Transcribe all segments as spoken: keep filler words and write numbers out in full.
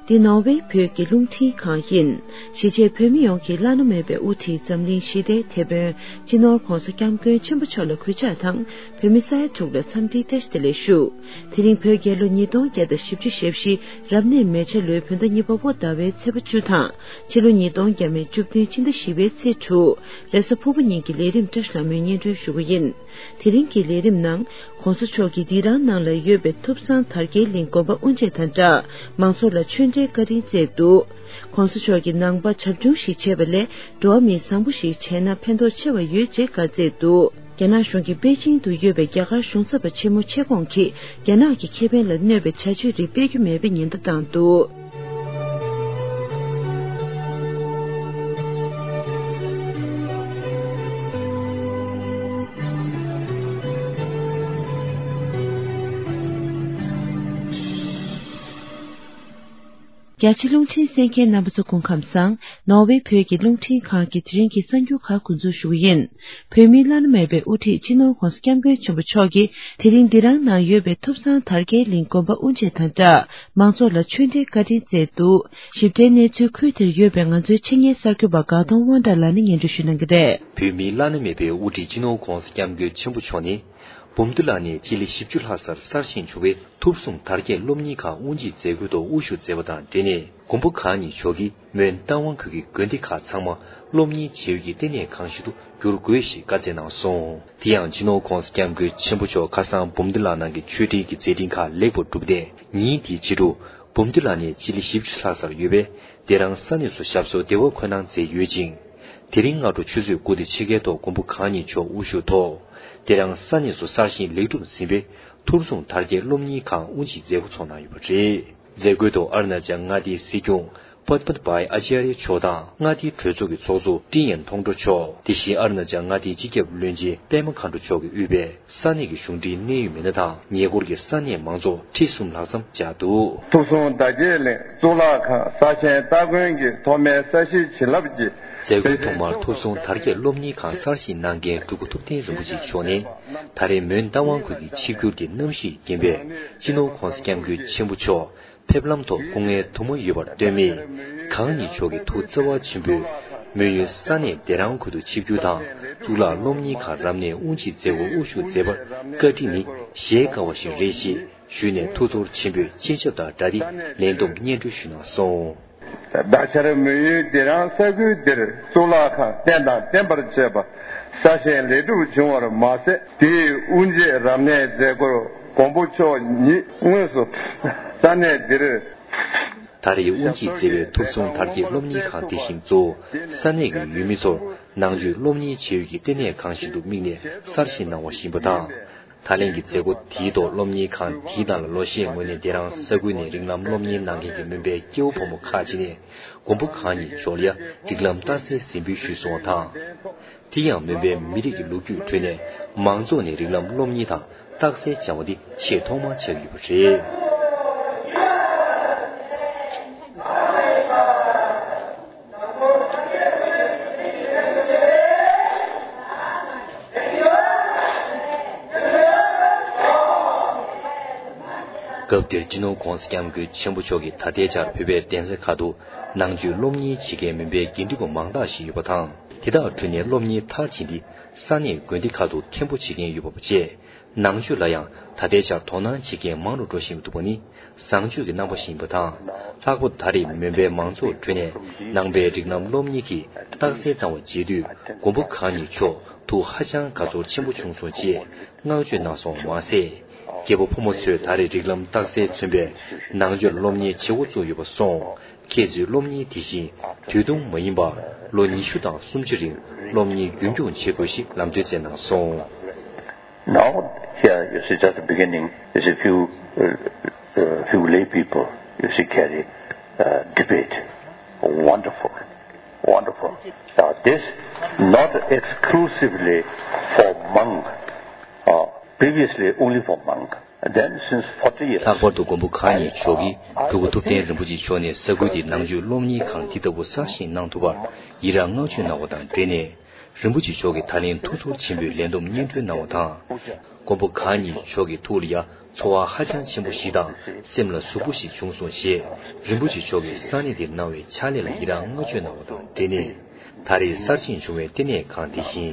འདི་ནོར་ཝེ་བོད་ཀྱི་རླུང་འཕྲིན་ཁང་ཡིན། གཞིས་བྱེས་བོད་མི་ཡོངས་ཀྱི་བླ་ན་མེད་པའི་དབུ་ཁྲིད་འཛམ་གླིང་ཞི་བདེའི་དེད་དཔོན་སྤྱི་ནོར་༧གོང་ས་༧སྐྱབས་མགོན་ཆེན་པོ་མཆོག་ལ་གུས་ཕྱག་དང་། བོད་མི་ས་ཡ་དྲུག་ལ་འཚམས་འདྲིའི་བཀྲ་ཤིས་བདེ་ལེགས་ཞུ། དེ་རིང་བོད་རྒྱལ་ལོ་ཉིས་སྟོང་བརྒྱ་དང་བཞི་བཅུ་ཞེ་བཞི་རབ་གནས་མེ་བྱ་ལོའི་བོད་ཟླ་གཉིས་པ་བོད་ཟླ་བའི་ཚེས་པ་བཅུ་དང་། ཕྱི་ལོ་ཉིས་སྟོང་བརྒྱ་མེད་བཅུ་བདུན་སྤྱི་ཟླ་བཞི་པའི་ཚེས་དྲུག་རེས་གཟའ་ཕུར་བུ་ཉིན་གྱི་ལས་རིམ་བཀྲ་ཤིས་ལྷ་མོས་སྙན་སྒྲོན་ཞུ་གི་ཡིན། དེ་རིང་གི་ལས་རིམ་ནང་། ༸གོང་ས་མཆོག་གིས་སྡིག་ར་ནང་ལ་ཡོད་པའི་ཐུབ་བཟང་དར་རྒྱས་གླིང་དགོན་པ་དབུ་འབྱེད་དང་སྦྲགས། མང་ཚོགས་ལ་ཆོས་འབྲེལ་བཀའ་དྲིན་སྩལ་འདུག ༸གོང་ས་མཆོག་གིས་ནང་པ་བྱབས་ཆུང་ཞིག་བྱས་པ་ལས། འགྲོ་བ་མིའི་བཟང་པོ་ཞིག་བྱས་ན་ཕན་ཐོགས་ཆེ་བ་ཡོད་ཅེས་བཀའ་སྩལ་འདུག་རྒྱ་ནག་གཞུང་གིས་པེ་ཅིང་དུ་ཡོད་པའི་རྒྱ་གར་གཞུང་ཚབ་པ་ཆེན་མོ་ཆེ་ཁོང་གིས། རྒྱ་ནག་གི་ཁེ་ཕན་ལ་གནོད་པའི་བྱ་སྤྱོད་རིགས་སྤེལ་རྒྱུ་མེད་པའི་ཉེན་བརྡ་བཏང་འདུག་རྒྱ་ཆེ་རླུང་འཕྲིན་གསན་མཁན་རྣམ་པ་ཚོ་སྐུ་ཁམས་བཟང་། ནོར་ཝེ་བོད་ཀྱི་རླུང་འཕྲིན་ཁང་གི་དེ་རིང་གི་གསར་འགྱུར་ཁག་འགོ་འཛུགས་ཞུ་གི་ཡིན། བོད་མིའི་བླ་ན་མེད་པའི་དབུ་ཁྲིད་སྤྱི་ནོར་༸གོང་ས་༸སྐྱབས་མགོན་ཆེན་པོ་མཆོག་གིས། དེ་རིང་འདི་རང་ནང་ཡོད་པའི་ཐུབ་བཟང་དར་རྒྱས་གླིང་དགོན་པ་དབུ་འབྱེད་དང་སྦྲགས། མང་ཚོགས་ལ་ཆོས་འབྲེལ་བཀའ་དྲིན་སྩལ་འདུག་ཞིབ་ཕྲའི་གནས་ཚུལ་ཁུལ་དེར་ཡོད་པའི་ང་ཚོའི་ཆེད་གཉེར་གསར་འགོད་པ་དགའ་གདོང་དབང་གྲགས་ལགས་ནས་སྙན་སྒྲོན་ཞུ་གནང་གི་རེད། བོད་མིའི་བླ་ན་མེད་པའི་དབུ་ཁྲིད་སྤྱི་ནོར་༸གོང་ས་༸སྐྱབས་མགོན་ཆེན་པོ་མཆོག་ནི། འབུམ་སྡེ་ལ་ནས་སྤྱི་ལེ་བཞི་བཅུ་ལྷག་སར་གསར་བཞེངས་བྱུང་བའི་ཐུབ་གསུང་དར་རྒྱས་སློབ་གཉེར་ཁང་དབུ་འབྱེད་མཛད་སྒོའི་ཐོག་དབུ་བཞུགས་མཛད་པ་དང་འབྲེལ་ནས། མགོན་པོ་གང་ཉིད་མཆོག་གིས་མོན་རྟ་དབང་ཁུལ་གྱི་དགོན་སྡེ་ཁག་ཚང་མ་སློབ་གཉེར་བྱེད་ཡུལ་གྱི་ལྟེ་གནས་ཁང་ཞིག་ཏུ་བསྒྱུར་དགོས་ཞེས་བཀའ་སྩལ་གནང་སོང་། དེ་ཡང་སྤྱི་ནོར་༸གོང་ས་༸སྐྱབས་མགོན་ཆེན་པོ་མཆོག་ཁ་སང་འབུམ་སྡེ་ལ་ནང་གི་མཆོད་སྤྲིན་གྱི་མཛད་འཕྲིན་ཁག་ལེགས་པར་གྲུབ་སྟེ། ཉིན་དེའི་ཕྱི་དྲོ། འབུམ་སྡེ་ལ་ནས་སྤྱི་ལེ་བཞི་བཅུ་ལྷག་སར་ཡོད་པའི་སྡེ་རང་ས་གནས་སུ་ཞབས་སོར་བདེ་བར་འཁོད་གནང་མཛད་ཡོད་ཅིང་། དེ་རིང་སྔ་དྲོ་ཆུ་ཚོད་དགུ་དང་ཕྱེད་ཀའི་ཐོག་མགོན་པོ་གང་ཉིད་མཆོག་དབུ་བཞུགས་ཐོག་སྡེ་རང་ས་གནས་སུ་གསར་བཞེངས་ལེགས་གྲུབ་ཟིན་པའི་ཐུབ་གསུང་དར་རྒྱས་སློབ་གཉེར་ཁང་དབུ་འབྱེད་མཛད་སྒོ་ཚོགས་གནང་ཡོད་པ་རེད། མཛད་སྒོའི་ཐོག་ཨ་རུ་ན་ཅལ་མངའ་སྡེའི་སྲིད་སྐྱོང་པད་མ་བྷའི་ཨ་ཅཱརྱ་མཆོག་དང་། མངའ་སྡེའི་གྲོས་ཚོགས་ཀྱི་ཚོགས་གཙོ་ཀྲིན་ཡན་ཐོང་ཀྲོ་མཆོག་དེ་བཞིན་ཨ་རུ་ན་ཅལ་མངའ་སྡེའི་སྤྱི་ཁྱབ་བློན་ཆེན་པད་མ་མཁའ་འགྲོ་མཆོག་གིས་དབུས་པའི་ས་གནས་ཀྱི་གཞུང་འབྲེལ་གནད་ཡོད་མི་སྣ་དང་ཉེ་འཁོར་གྱི་ས་གནས་མང་ཚོགས་ཁྲི་གསུམ་ལྷག་ཙམ་བཅར་འདུག་ཐུབ་གསུང་དར་རྒྱས་གླིང་གཙུག་ལག་ཁང་གསར་བཞེངས་སྟ་གོན་གྱི་ཐོག་མའི་ས་གཞིའི་བྱིན་རླབས་ཀྱིས། མཛད་སྒོའི་ཐོག་མར་ཐུབ་གསུང་དར་རྒྱས་སློབ་གཉེར་ཁང་གསར་བཞེངས་གནང་མཁན་སྤྲུལ་སྐུ་ཐུབ་བསྟན་རིན་པོ་ཆེ་མཆོག་ནས། ད་རེས་མོན་རྟ་དབང་ཁུལ་གྱི་ཆིབས་བསྒྱུར་གྱི་རྣམ་གཞི་རྒན་པས་སྤྱི་ནོར་༸གོང་ས་༸སྐྱབས་མགོན་ཆེན་པོ་མཆོག་ཕེབས་ལམ་ཐོག་སྐུ་ངལ་དུ་མ་ཡོད་པར་ལྟོས་མེད། གང་ཉིད་མཆོག་གི་ཐུགས་བརྩེ་བ་ཆེན་པོས་མོན་ཡུལ་ས་གནས་སྡེ་རང་ཁུལ་དུ་ཆིབས་བསྒྱུར་དང་གཙུག་ལག་སློབ་གཉེར་ཁང་རབ་གནས་དབུ་འབྱེད་མཛད་སྒོར་དབུ་བཞུགས་མཛད་པར་བཀའ་དྲིན་ནི་གཞལ་དཀའ་བ་ཞིག་རེད་ཞེས་ཞུས་ནས་ཐུགས་ཚོར་ཆེན་པོས་སྤྱན་ཆབ་དང་སྦྲགས་ཏེ་ལན་འདེབས་སྙན་སྒྲོན་ཞུས་གནང་སོང་། ད་ཆར་མོན་ཡུལ་སྡེ་རང་ས་ཁུལ་འདིར་གཙུག་ལག་ཁང་རྟེན་དང་བརྟེན་པར་བཅས་པ་གསར་བཞེངས་ལེགས་གྲུབ་བྱུང་བར་མ་ཟད། དེའི་དབུ་འབྱེད་རབ་གནས་མཛད་སྒོར་མགོན་པོ་མཆོག་ཉིད་དངོས་སུ་ས་གནས་འདིར། ད་རེས་དབུ་འབྱེད་མཛད་པའི་ཐུབ་གསུང་དར་རྒྱས་སློབ་གཉེར་ཁང་དེ་བཞིན་གཙོ་བོ་ས་གནས་ཀྱི་ཡུལ་མི་ཚོར་ནང་ཆོས་སློབ་གཉེར་བྱེད་ཡུལ་གྱི་ལྟེ་གནས་ཁང་ཞིག་ཏུ་དམིགས་ནས་གསར་བཞེངས་གནང་བ་ཞིག་ཡིན་པ་དང་། ད་ལན་གྱི་མཛད་སྒོ་དེའི་ཐོག་སློབ་གཉེར་ཁང་དེའི་ནང་ལ་ལོ་ཤས་སྔོན་ནས་སྡེ་རང་ས་ཁུལ་ནས་རིགས་ལམ་སློབ་གཉེར་གནང་མཁན་གྱི་མོན་པའི་སྐྱེ་བོ་ཕོ་མོ་ཁག་ཅིག་ནས་མགོན་པོ་གང་ཉིད་མཆོག་ལ་ཡ་རིགས་ལམ་རྟགས་གསལ་གཟིགས་འབུལ་ཞུས་སོང་བ་དང་། དེ་ཡང་མོན་པའི་མི་རིགས་ཀྱི་ལོ་རྒྱུས་ཁྲོད་ནས་མང་ཚོགས་ནས་རིགས་ལམ་སློབ་གཉེར་དང་རྟགས་གསལ་སྦྱང་བ་འདི་ཆེས་ཐོག་མར་ཆགས་ཡོད་པ་རེད། སྐབས་དེར་སྤྱི་ནོར་༸གོང་ས་༸སྐྱབས་མགོན་ཆེན་པོ་མཆོག་གིས་ད་ལྟའི་ཆར་བོད་པའི་གདན་ས་ཁག་ཏུ་ནང་ཆོས་སློབ་གཉེར་བྱེད་མཁན་མོན་པའི་དགེ་འདུན་པ་མང་དག་ཞིག་ཡོད་པ་དང་། དེ་དག་ཁྲོད་ནས་སློབ་གཉེར་མཐར་ཕྱིན་ཏེ་ས་གནས་དགོན་སྡེ་ཁག་ཏུ་མཁན་པོ་བྱེད་མཁན་ཡོད་པ་བཅས། ནང་ཆོས་ལ་ཡང་ད་ལྟའི་ཆར་དོ་སྣང་བྱེད་མཁན་མང་རུ་འགྲོ་བཞིན་འདུག་པ་ནི་བཟང་སྤྱོད་ཀྱི་རྣམ་པ་ཞིག་ཡིན་པ་དང་། ལྷག་པར་ད་རེས་མོན་པའི་མང་ཚོགས་ཁྲོད་ནས་ནང་པའི་རིགས་ལམ་སློབ་གཉེར་གྱི་རྟགས་གསལ་བཏང་བ་མཇལ་དུས་མགོན་པོ་གང་ཉིད་མཆོག་ཐུགས་ཧ་ཅང་དགའ་ཚོར་ཆེན་པོ་བྱུང་སོང་ཅེས་བསྔགས་བརྗོད་གནང་སོང་བ་མ་ཟད། སྐྱེ་བོ་ཕོ་མོ་ཚོས་ད་རེས་རིགས་ལམ་རྟགས་གསལ་མཚོན་པའི་ནང་ཆོས་ལ་སློབ་གཉེར་བྱེད་འགོ་བཙུགས་ཡོད་པ་སོང་། ཁྱེད་ཚོས་སློབ་གཉེར་དེ་བཞིན་དུས་ཐུང་མ་ཡིན་པར་ལོ་ཉི་ཤུ་དང་སུམ་ཅུ་རིང་སློབ་གཉེར་རྒྱུན་འཁྱོངས་བྱེད་དགོས་ཞེས་ལམ་སྟོན་སྩལ་གནང་སོང་། Now, here, you see, just the beginning, you see, few, uh, uh, few lay people, you see, carry, uh, debate. Wonderful, wonderful. Now, this not exclusively for monk, uh, previously only for monk. Then, since forty years, ལྷག་པར་དུ་མགོན་པོ་གང་ཉིད་མཆོག་གིས་སྤྲུལ་སྐུ་ཐུབ་བསྟན་རིན་པོ་ཆེ་མཆོག་ནས་ས་ཁུལ་འདིའི་ནང་ཆོས་སློབ་གཉེར་ཁང་འདི་ལྟ་བུ་གསར་བཞེངས་གནང་ཐུབ་པར་ཡི་རངས་བསྔགས་བརྗོད་གནང་བ་དང་འབྲེལ་ནས། རིན་པོ་ཆེ་མཆོག་གིས་ད་ལན་ཐུགས་ཚོར་ཆེན་པོས་ལན་འདེབས་སྙན་སྒྲོན་གནང་བ་དང་། མགོན་པོ་གང་ཉིད་མཆོག་གི་ཐུགས་ལ་ཡ་ཚོར་བ་ཧ་ཅང་ཆེན་པོ་ཞིག་དང་སེམས་ལ་ཟུག་པོ་ཞིག་བྱུང་སོང་ཞེས་རིན་པོ་ཆེ་མཆོག་གིས་ས་གནས་དེར་གནང་བའི་ཕྱག་ལས་ལ་ཡི་རངས་བསྔགས་བརྗོད་གནང་བ་དང་འབྲེལ་ནས། ད་རེས་གསར་བཞེངས་བྱུང་བའི་ལྟེ་གནས་ཁང་དེ་བཞིན་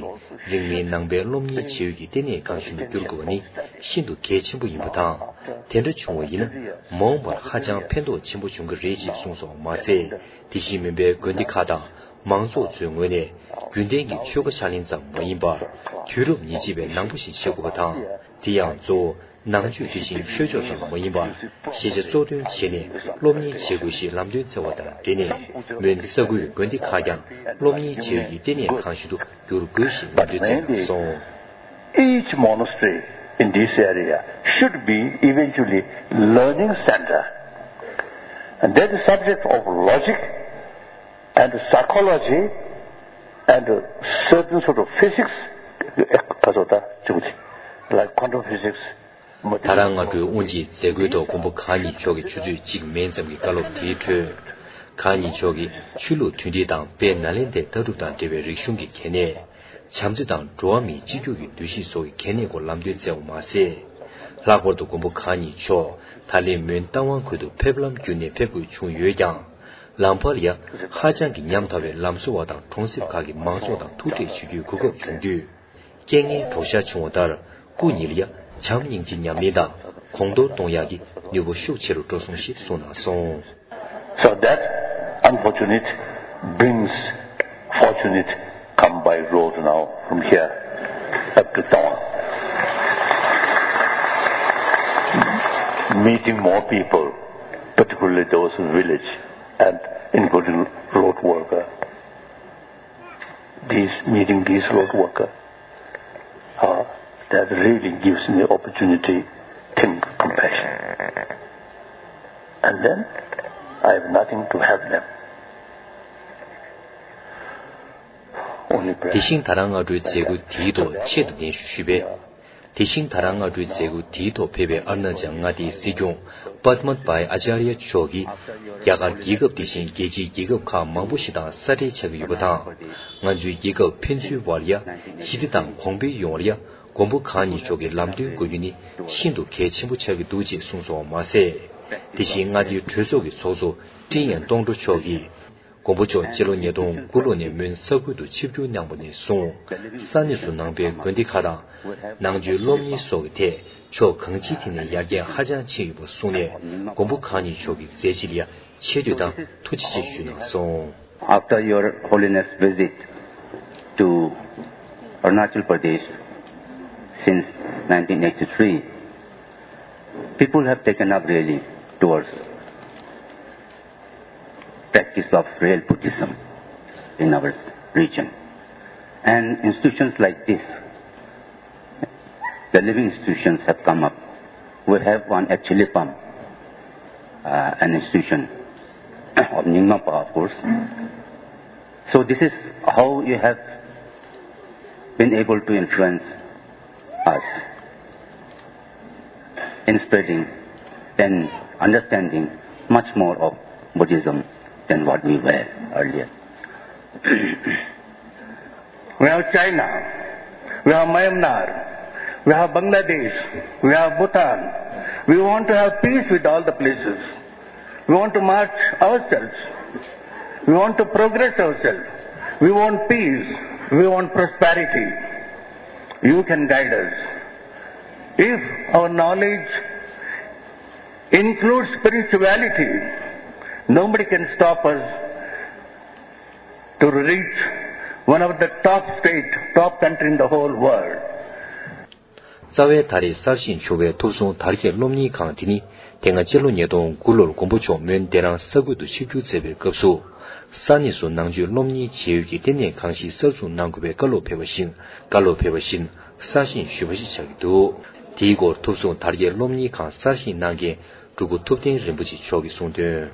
རིང་མིན་ནང་པའི་སློབ་གཉེར་བྱེད་ཡུལ་གྱི་ལྟེ་གནས་ཁང་ཞིག་ཏུ་འགྱུར་དགོས་པ་ནི་ཤིན་ཏུ་གལ་ཆེན་པོ་ཡིན་པ་དང་། དེ་འདྲ་བྱུང་བ་ཡིན་ན་མ་འོངས་པར་ཧ་ཅང་ཕན་ཐོགས་ཆེན་པོ་འབྱུང་གི་རེད་ཅེས་གསུངས་སོང་བ་མ་ཟད། དེ་བཞིན་མིན་པའི་དགོན་སྡེ་ཁག་དང་མང་ཚོགས་ཚོའི་ངོས་ནས་རྒྱུན་ལྡན་གྱི་ཆོས་ཁ་ཕྱག་ལེན་ཙམ་མ་ཡིན་པར་དུས་རབས་ཉེར་གཅིག་པའི་ནང་པ་ཞིག་བྱེད་དགོས་པ་དང་། དེ་ཡང་གཙོ་བོ་ནང་ཆོས་དེ་བཞིན་ཆོས་ཕྱོགས་ཙམ་མ་ཡིན་པར་ཤེས་བྱ་གཙོ་འདོན་བྱས་ནས་སློབ་གཉེར་བྱེད་དགོས་ཞེས་ལམ་སྟོན་བསྩལ་བ་དང་འབྲེལ་ནས། མོན་ས་ཁུལ་དགོན་སྡེ་ཁག་ཀྱང་སློབ་གཉེར་བྱེད་ཡུལ་གྱི་ལྟེ་གནས་ཁང་ཞིག་ཏུ་འགྱུར་དགོས་ཞེས་ལམ་སྟོན་བསྩལ་གནང་སོང་། Each monastery in this area should be eventually learning center. And that is subject of logic and psychology and certain sort of physics, like quantum physics. ད་རང་སྔ་དྲོའི་དབུ་འབྱེད་མཛད་སྒོའི་ཐོག་མགོན་པོ་གང་ཉིད་མཆོག་གིས་ཆུ་ཚོད་གཅིག་མན་ཙམ་གྱི་བཀའ་སློབ་དེའི་ཁྲོད། གང་ཉིད་མཆོག་གིས་ཆོས་ལུགས་མཐུན་སྒྲིལ་དང་དཔལ་ནཱ་ལེནྡྲའི་ལྟ་གྲུབ་དང་འབྲེལ་བའི་རིག་གཞུང་གི་གལ་གནད། བྱམས་བརྩེ་དང་འགྲོ་བ་མིའི་གཅིག་གྱུར་གྱི་འདུ་ཤེས་སོགས་ཀྱི་གལ་གནད་སྐོར་ལམ་སྟོན་བསྩལ་བ་མ་ཟད། ལྷག་པར་དུ་མགོན་པོ་གང་ཉིད་མཆོག་ད་ལན་མོན་རྟ་དབང་ཁུལ་དུ་ཕེབས་ལམ་བརྒྱུད་ནས་ཕེབས་དགོས་བྱུང་ཡོད་ཀྱང་། ལམ་བར་ཡ་ཧ་ཅང་གི་ཉམ་ཐག་པའི་ལམ་བཟོ་བ་དང་གྲོང་གསེབ་ཁག་གི་མང་ཚོགས་དང་ཐུག་འཕྲད་བྱེད་རྒྱུའི་གོ་སྐབས་བྱུང་དུས། རྐྱེན་ངན་གྲོགས་ཤར་བྱུང་བ་ལྟར་སྐུ་ཉིད་ལ་ཡ་བྱམས་སྙིང་རྗེ་ཉམས་ལེན་དང་གོང་མཐོར་གཏོང་ཡག་གི་ནུས་པ་ཤུགས་ཆེ་རུ་འགྲོ་སོང་ཞེས་གསུངས་གནང་སོང་། So that unfortunate brings fortunate come by road now from here up to Tawang. Meeting more people, particularly those in village and including road worker. These meeting these road worker, uh, that really gives me opportunity, think compassion. And then I have nothing to help them. Only དེ་prayer. བཞིན་ད་རང་སྔ་དྲོའི་མཛད་སྒོ་དེའི་ཐོག་ཆེད་དུ་གདན་ཞུ་ཞུས་པས། དེ་བཞིན་ད་རང་སྔ་དྲོའི་མཛད་སྒོ་དེའི་ཐོག་ཕེབས་པའི་ཨ་རུ་ན་ཅལ་མངའ་སྡེའི་སྲིད་སྐྱོང་པདྨ་བྷའི་ཨ་ཅཱརྱ་མཆོག་གིས། རྒྱ་གར་རྒྱལ་ཁབ་དེ་བཞིན་རྒྱལ་སྤྱིའི་རྒྱལ་ཁབ་ཁག་མང་པོ་ཞིག་དང་ས་འབྲེལ་ཆགས་ཀྱི་ཡོད་པ་དང་། ང་ཚོའི་རྒྱལ་ཁབ་ཕན་ཚུན་བར་ཡ་ཞི་བདེ་དང་གོང་འཕེལ་ཡོང་བར་ཡ་མགོན་པོ་གང་ཉིད་མཆོག་གི་ལམ་སྟོན་དགོས་རྒྱུ་ནི་ཤིན་ཏུ་གལ་ཆེན་པོ་ཆགས་ཀྱི་འདུག་ཅེས་གསུངས་སོང་བ་མ་ཟད། དེ་བཞིན་མངའ་སྡེའི་གྲོས་ཚོགས་ཀྱི་ཚོགས་གཙོ་ཀྲིན་ཡན་ཏོང་ཀྲོ་མཆོག་གིས། མགོན་པོ་མཆོག་སྤྱི་ལོ་ཉིས་སྟོང་དགུ་ལོ་ནས་མོན་ས་ཁུལ་དུ་ཆིབས་བསྒྱུར་གནང་བ་ནས་བཟུང་། ས་གནས་སུ་ནང་པའི་དགོན་སྡེ་ཁག་དང་། ནང་ཆོས་སློབ་གཉེར་སོགས་ཀྱི་ཐད་ཕྱོགས་གང་ཅིའི་ཐད་ནས་ཡར་རྒྱས་ཧ་ཅང་ཕྱིན་ཡོད་པ་གསུངས་ནས། མགོན་པོ་གང་ཉིད་མཆོག་གི་མཛད་རྗེས་ལ་ཡང་ཆེ་བསྟོད་དང་ཐུགས་རྗེ་ཆེ་ཞུས་གནང་སོང་། After Your Holiness' visit to Arunachal Pradesh since nineteen eighty-three, people have taken up really towards practice of real Buddhism in our region. And institutions like this, the living institutions have come up. We have one at Chilipam, uh, an institution of Nyingmapa, of course. So this is how you have been able to influence us in spreading and understanding much more of Buddhism than what we were earlier. We have China, we have Myanmar, we have Bangladesh, we have Bhutan. We want to have peace with all the places. We want to march ourselves. We want to progress ourselves. We want peace. We want prosperity. You can guide us. If our knowledge includes spirituality, nobody can stop us to reach one of the top state, top country in the whole world. རྩ་བའི་ད་རེས་གསར་བཞེངས་བྱུང་བའི་ཐུབ་བསྲུང་དར་རྒྱས་སློབ་གཉེར་ཁང་དེ་ནི། དེ་སྔ་སྤྱི་ལོ་ཉིས་སྟོང་དགུ་ལོར་མགོན་པོ་མཆོག་མོན་བདེ་རང་ས་ཁུལ་དུ་ཆིབས་བསྒྱུར་མཛད་པའི་སྐབས་སུ། ས་གནས་སུ་ནང་ཆོས་སློབ་གཉེར་བྱེད་ཡུལ་གྱི་ལྟེ་གནས་ཁང་ཞིག་གསར་འཛུགས་གནང་དགོས་པའི་བཀའ་སློབ་ཕེབས་པ་བཞིན། བཀའ་སློབ་ཕེབས་པ་བཞིན་གསར་བཞེངས་ཞུས་པ་ཞིག་ཆགས་ཀྱི་འདུག་དེའི་སྐོར་ཐུབ་བསྲུང་དར་རྒྱས་སློབ་གཉེར་ཁང་གསར་བཞེངས་གནང་མཁན་སྤྲུལ་སྐུ་ཐུབ་བསྟན་རིན་པོ་ཆེ་མཆོག་གིས་གསུངས་དོན།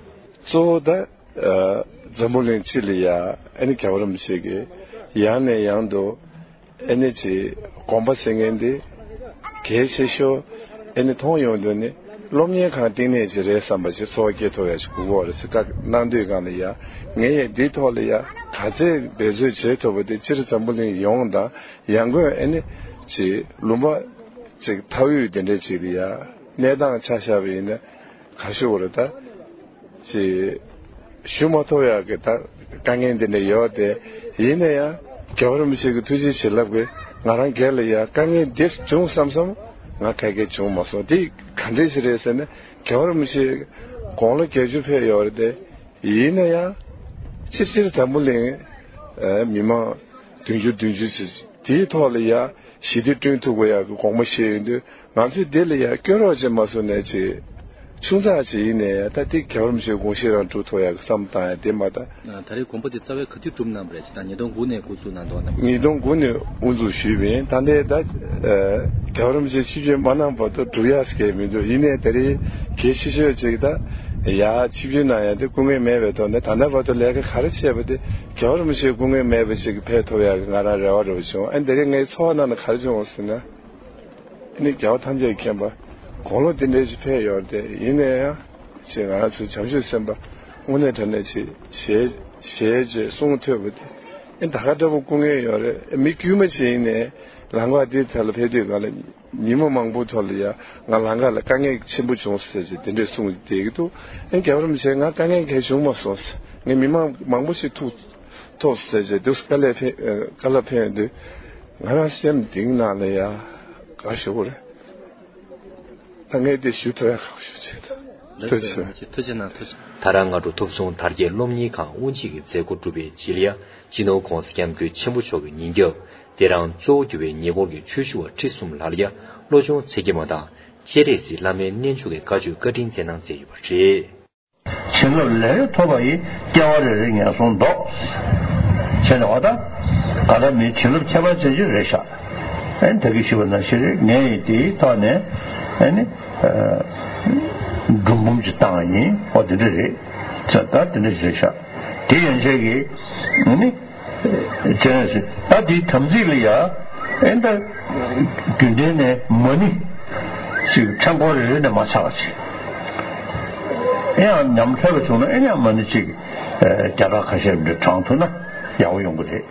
གཙོ་བོ་ད། ཨ། འཛམ་བུ་གླིང་སྤྱི་ལ་ཡ་ཨ་ནི་རྒྱལ་བ་རིན་པོ་ཆེ་གིས་ཡང་ནས་ཡང་དུ་ཨ་ནི་ཅིག་དགོངས་པ་བཞེས་མཁན་འདི་གལ་ཆེ་ཤོས་ཨ་ནི་མཐོང་ཡོང་དུས་ནི། སློབ་གཉེར་ཁང་བཏིང་ནས་ཅིག་རེད་བསམ་པ་ཞིག་ཚོར་བ་སྐྱེ་ཐུབ་ཡ་ཞིག་དགོས་ཀྱི་ཡོད་རེད་ཟེར་བཀའ་གནང་དུས་སྒང་ལ་ཡ། ངས་ཡ་འདིའི་ཐོག་ལ་ཡ་ག་ཚད་འབད་རྩོལ་བྱེད་ཐུབ་པ་དེ་སྤྱིར་འཛམ་བུ་གླིང་ཡོངས་དང་ཡང་སྒོས་ཨ་ནི་ཅིག་ལུང་པ་ཅིག་མཐའ་དབུས་དེ་འདྲ་ཅིག་ལ་ཡ་གནས་སྟངས་ཆ་བཞག་པ་ཡིན་ན་ག་ཞུ་དགོས་རེད་ད། ཅིག་ཞུ་མ་ཐུབ་ཡག་གི་ད་དཀའ་ངལ་འདི་འདྲ་ཡོད་དེ། ཡིན་ན་ཡང་རྒྱལ་བ་རིན་པོ་ཆེ་གི་ཐུགས་རྗེ་བྱིན་རླབས་ཀྱིས་ང་རང་སྒེར་ལ་ཡང་དཀའ་ངལ་འདི་བྱུང་བསམ་བསམ་ང་ག་གེ་བྱུང་མ་སོང་། དེ་ག་འདྲས་ཞིག་རེད་ཟེར་ན། རྒྱལ་བ་རིན་པོ་ཆེ་དགུང་ལོ་བརྒྱད་ཅུ་ཕེབས་ཡོད་རེད་དེ། ཡིན་ན་ཡང་སྤྱིར་སྤྱིར་འཛམ་བུ་གླིང་མི་མང་བདུན་ཅུ་བདུན་ཅུ་ཅིག་དེའི་ཐོག་ལ་ཡ་ཞི་བདེ་བསྐྲུན་ཐུབ་དགོས་ཡག་གི་དགོངས་པ་བཞེས་ཡོང་དུས། ང་ཚོས་འདི་ལ་ཡ་སྐྱོ་རོགས་བྱེད་མ་སོང་ནས་ཅིག་ཆུང་ཙག་ཅིག་ཡིན་ནའི་ད་འདི་རྒྱལ་བ་རིན་པོ་ཆེའི་དགོངས་བཞེད་རང་སྒྲུབ་ཐུབ་ཡག་གི་བསམ་བཏང་ཡ་དེ་མ་གཏོགས། ད་རེས་དགོངས་པ་དེ་རྩ་བའི་ག་དུས་གྲུབ་གནང་བ་རེད། ད་ཉིས་སྟོང་དགུ་ནས་འགོ་བཙུགས་གནང་འདུག་ན། ཉིས་སྟོང་དགུ་ནས་དབུ་འཛུགས་ཞུས་པ་ཡིན། ད་ལྟའི་ད་རྒྱལ་བ་རིན་པོ་ཆེ་ཆིབས་བསྒྱུར་མ་གནང་བར་དུ་སྒྲུབ་ཡག་ཟེར་མཁན་མི་འདུག་ཡིན་ནའི་ད་རེས་གལ་ཆེ་ཤོས་ཅིག་ད་ཡ་ཆིབས་བསྒྱུར་གནང་ཡ་དེ་སྐུ་ངལ་མེད་པའི་ཐོག་ནས། ད་ལྟ་བར་དུ་ལས་ཀ་ག་རེ་བྱས་པ་དེ་རྒྱལ་བ་རིན་པོ་ཆེ་སྐུ་ངལ་མེད་པ་ཅིག་ཕེབས་ཐུབ་ཡག་གི་ང་རང་རེ་བ་རེ་བ་བྱུང་། ཨ་ནི་ད་རེས་ངའི་ཚོར་བ་ནང་ལ་ག་རེ་བྱུང་ཟེར་ན། ཨ་ནི་རྒྱལ་བ་ཐམས་ཅད་མཁྱེན་པ་དགུང་ལོ་དེ་འདྲའི་ཅིག་ཕེབས་ཡོད་རེད་དེ། ཡིན་ན་ཡང་ཅིག་ང་རང་ཚོའི་བྱམས་ཆོས་སེམས་དཔའ་དངོས་གནས་དྲང་གནས་ཅིག་ཞལ་ཞལ་བཅད་གསུང་ཐོས་པ་དེ། ཨ་ནི་ད་ག་འདྲ་པོ་སྐུ་ངལ་ཡོད་རེད། མི་དཀྱུས་མ་ཅིག་ཡིན་ནའི་ལམ་ཁ་འདི་ཐད་ལ་ཕེབས་དུས་སྒང་ལ་ཉི་མ་མང་པོ་ཐོག་ལ་ཡ་ང་ལམ་ཁ་ལ་དཀའ་ངལ་ཆེན་པོ་བྱུང་ཟེར་ཅིག་དེ་འདྲའི་གསུང་བསྡད་ཀྱི་འདུག་ཨ་ནི་རྒྱལ་བ་རིན་པོ་ཆེ་ང་དཀའ་ངལ་གང་ཡང་བྱུང་མ་སོང་ཟེར། ངས་མི་མང་མང་པོ་ཞིག་ཐུག་ཐུག་ཟེར་བྱས་འདུག་དཀའ་ལས་ཕན་དཀའ་ལས་ཕན་ཡོང་དུས་ང་རང་སེམས་གཏིང་ནང་ལ་ཡ་ག་ཞུ་དགོས་རེད། ད་ངས་འདི་ཞུ་ཐུབ་ཡ་ག་ཞུ་བྱེད་ད། ཐུགས་རྗེ་ཆེ། ཐུགས་རྗེ་གནང་། ཐུགས་རྗེ། དྷ་རམ་སྔ་དྲོ་ཐུབ་བསྟན་དར་རྒྱས་སློབ་གཉེར་ཁང་དབུ་འབྱེད་ཀྱི་མཛད་སྒོ་གྲུབ་པའི་རྗེས་ལ་ཡ། སྤྱི་ནོར་༸གོང་ས་༸སྐྱབས་མགོན་ཆེན་པོ་མཆོག་གིས་ཉིན་རྒྱབ་དེ་རང་གཙོ་བོ་གྱུར་པའི་ཉེ་འཁོར་གྱི་ཆོས་ཞུ་བ་ཁྲི་གསུམ་ལ་ཡ་བློ་སྦྱོང་མཛད་ཀྱི་མ་དང་། སྤྱན་རས་གཟིགས་བླ་མའི་རྣལ་འབྱོར་གྱི་བཀའ་ཆོས་བཀའ་དྲིན་སྩལ་གནང་མཛད་ཡོད་པ་རེད། བྱིན་རླབས་ལས་ཐོབ་པ་ཡི། སྐྱེ་བ་རེ་རེ་ངན་སོང་ལྡོག་བྱས་ནས་འོ་ད། ག་ད་མིའི་བྱིན་རླབས་ཁྱད་པར་ཅན་ཅིག་རེད་ཤག་ཨེ་ད་གི་ཞུས་པ་ནང་བཞིན་རེད། ངས་ཡིན་དེའི་ཐོག་ནས་ཨེ་ནི། འབྲུ་འབུམ་ཅིག་བཏང་བ་ཡིན། འོ་དེ་འདྲ་རེད། ད་དེ་འདྲ་ཞིག་རེད་ཤག་དེ་ཡན་ཆད་ཀྱི་ཨེ་ནི། ཅེས་ད་དེའི་དམ་ཚིག་ལ་ཡ། ཨེ་ད། རྒྱུན་ལྡན་ནས་མ་ཎི་ཞིག་མཚན་འཁོར་རེ་རེ་ནས་མ་ཆག་ཅིག་ཨེ་ཡང་ཉམས་འཕྲོད་པ་བྱུང་ན་ཨེ་ཡང་མ་ཎི་ཅིག་བརྒྱ་ཕྲག་ཁ་ཤས་འདྲ་བགྲང་ཐུབ་ན་ཡག་པོ་ཡོང་གི་རེད།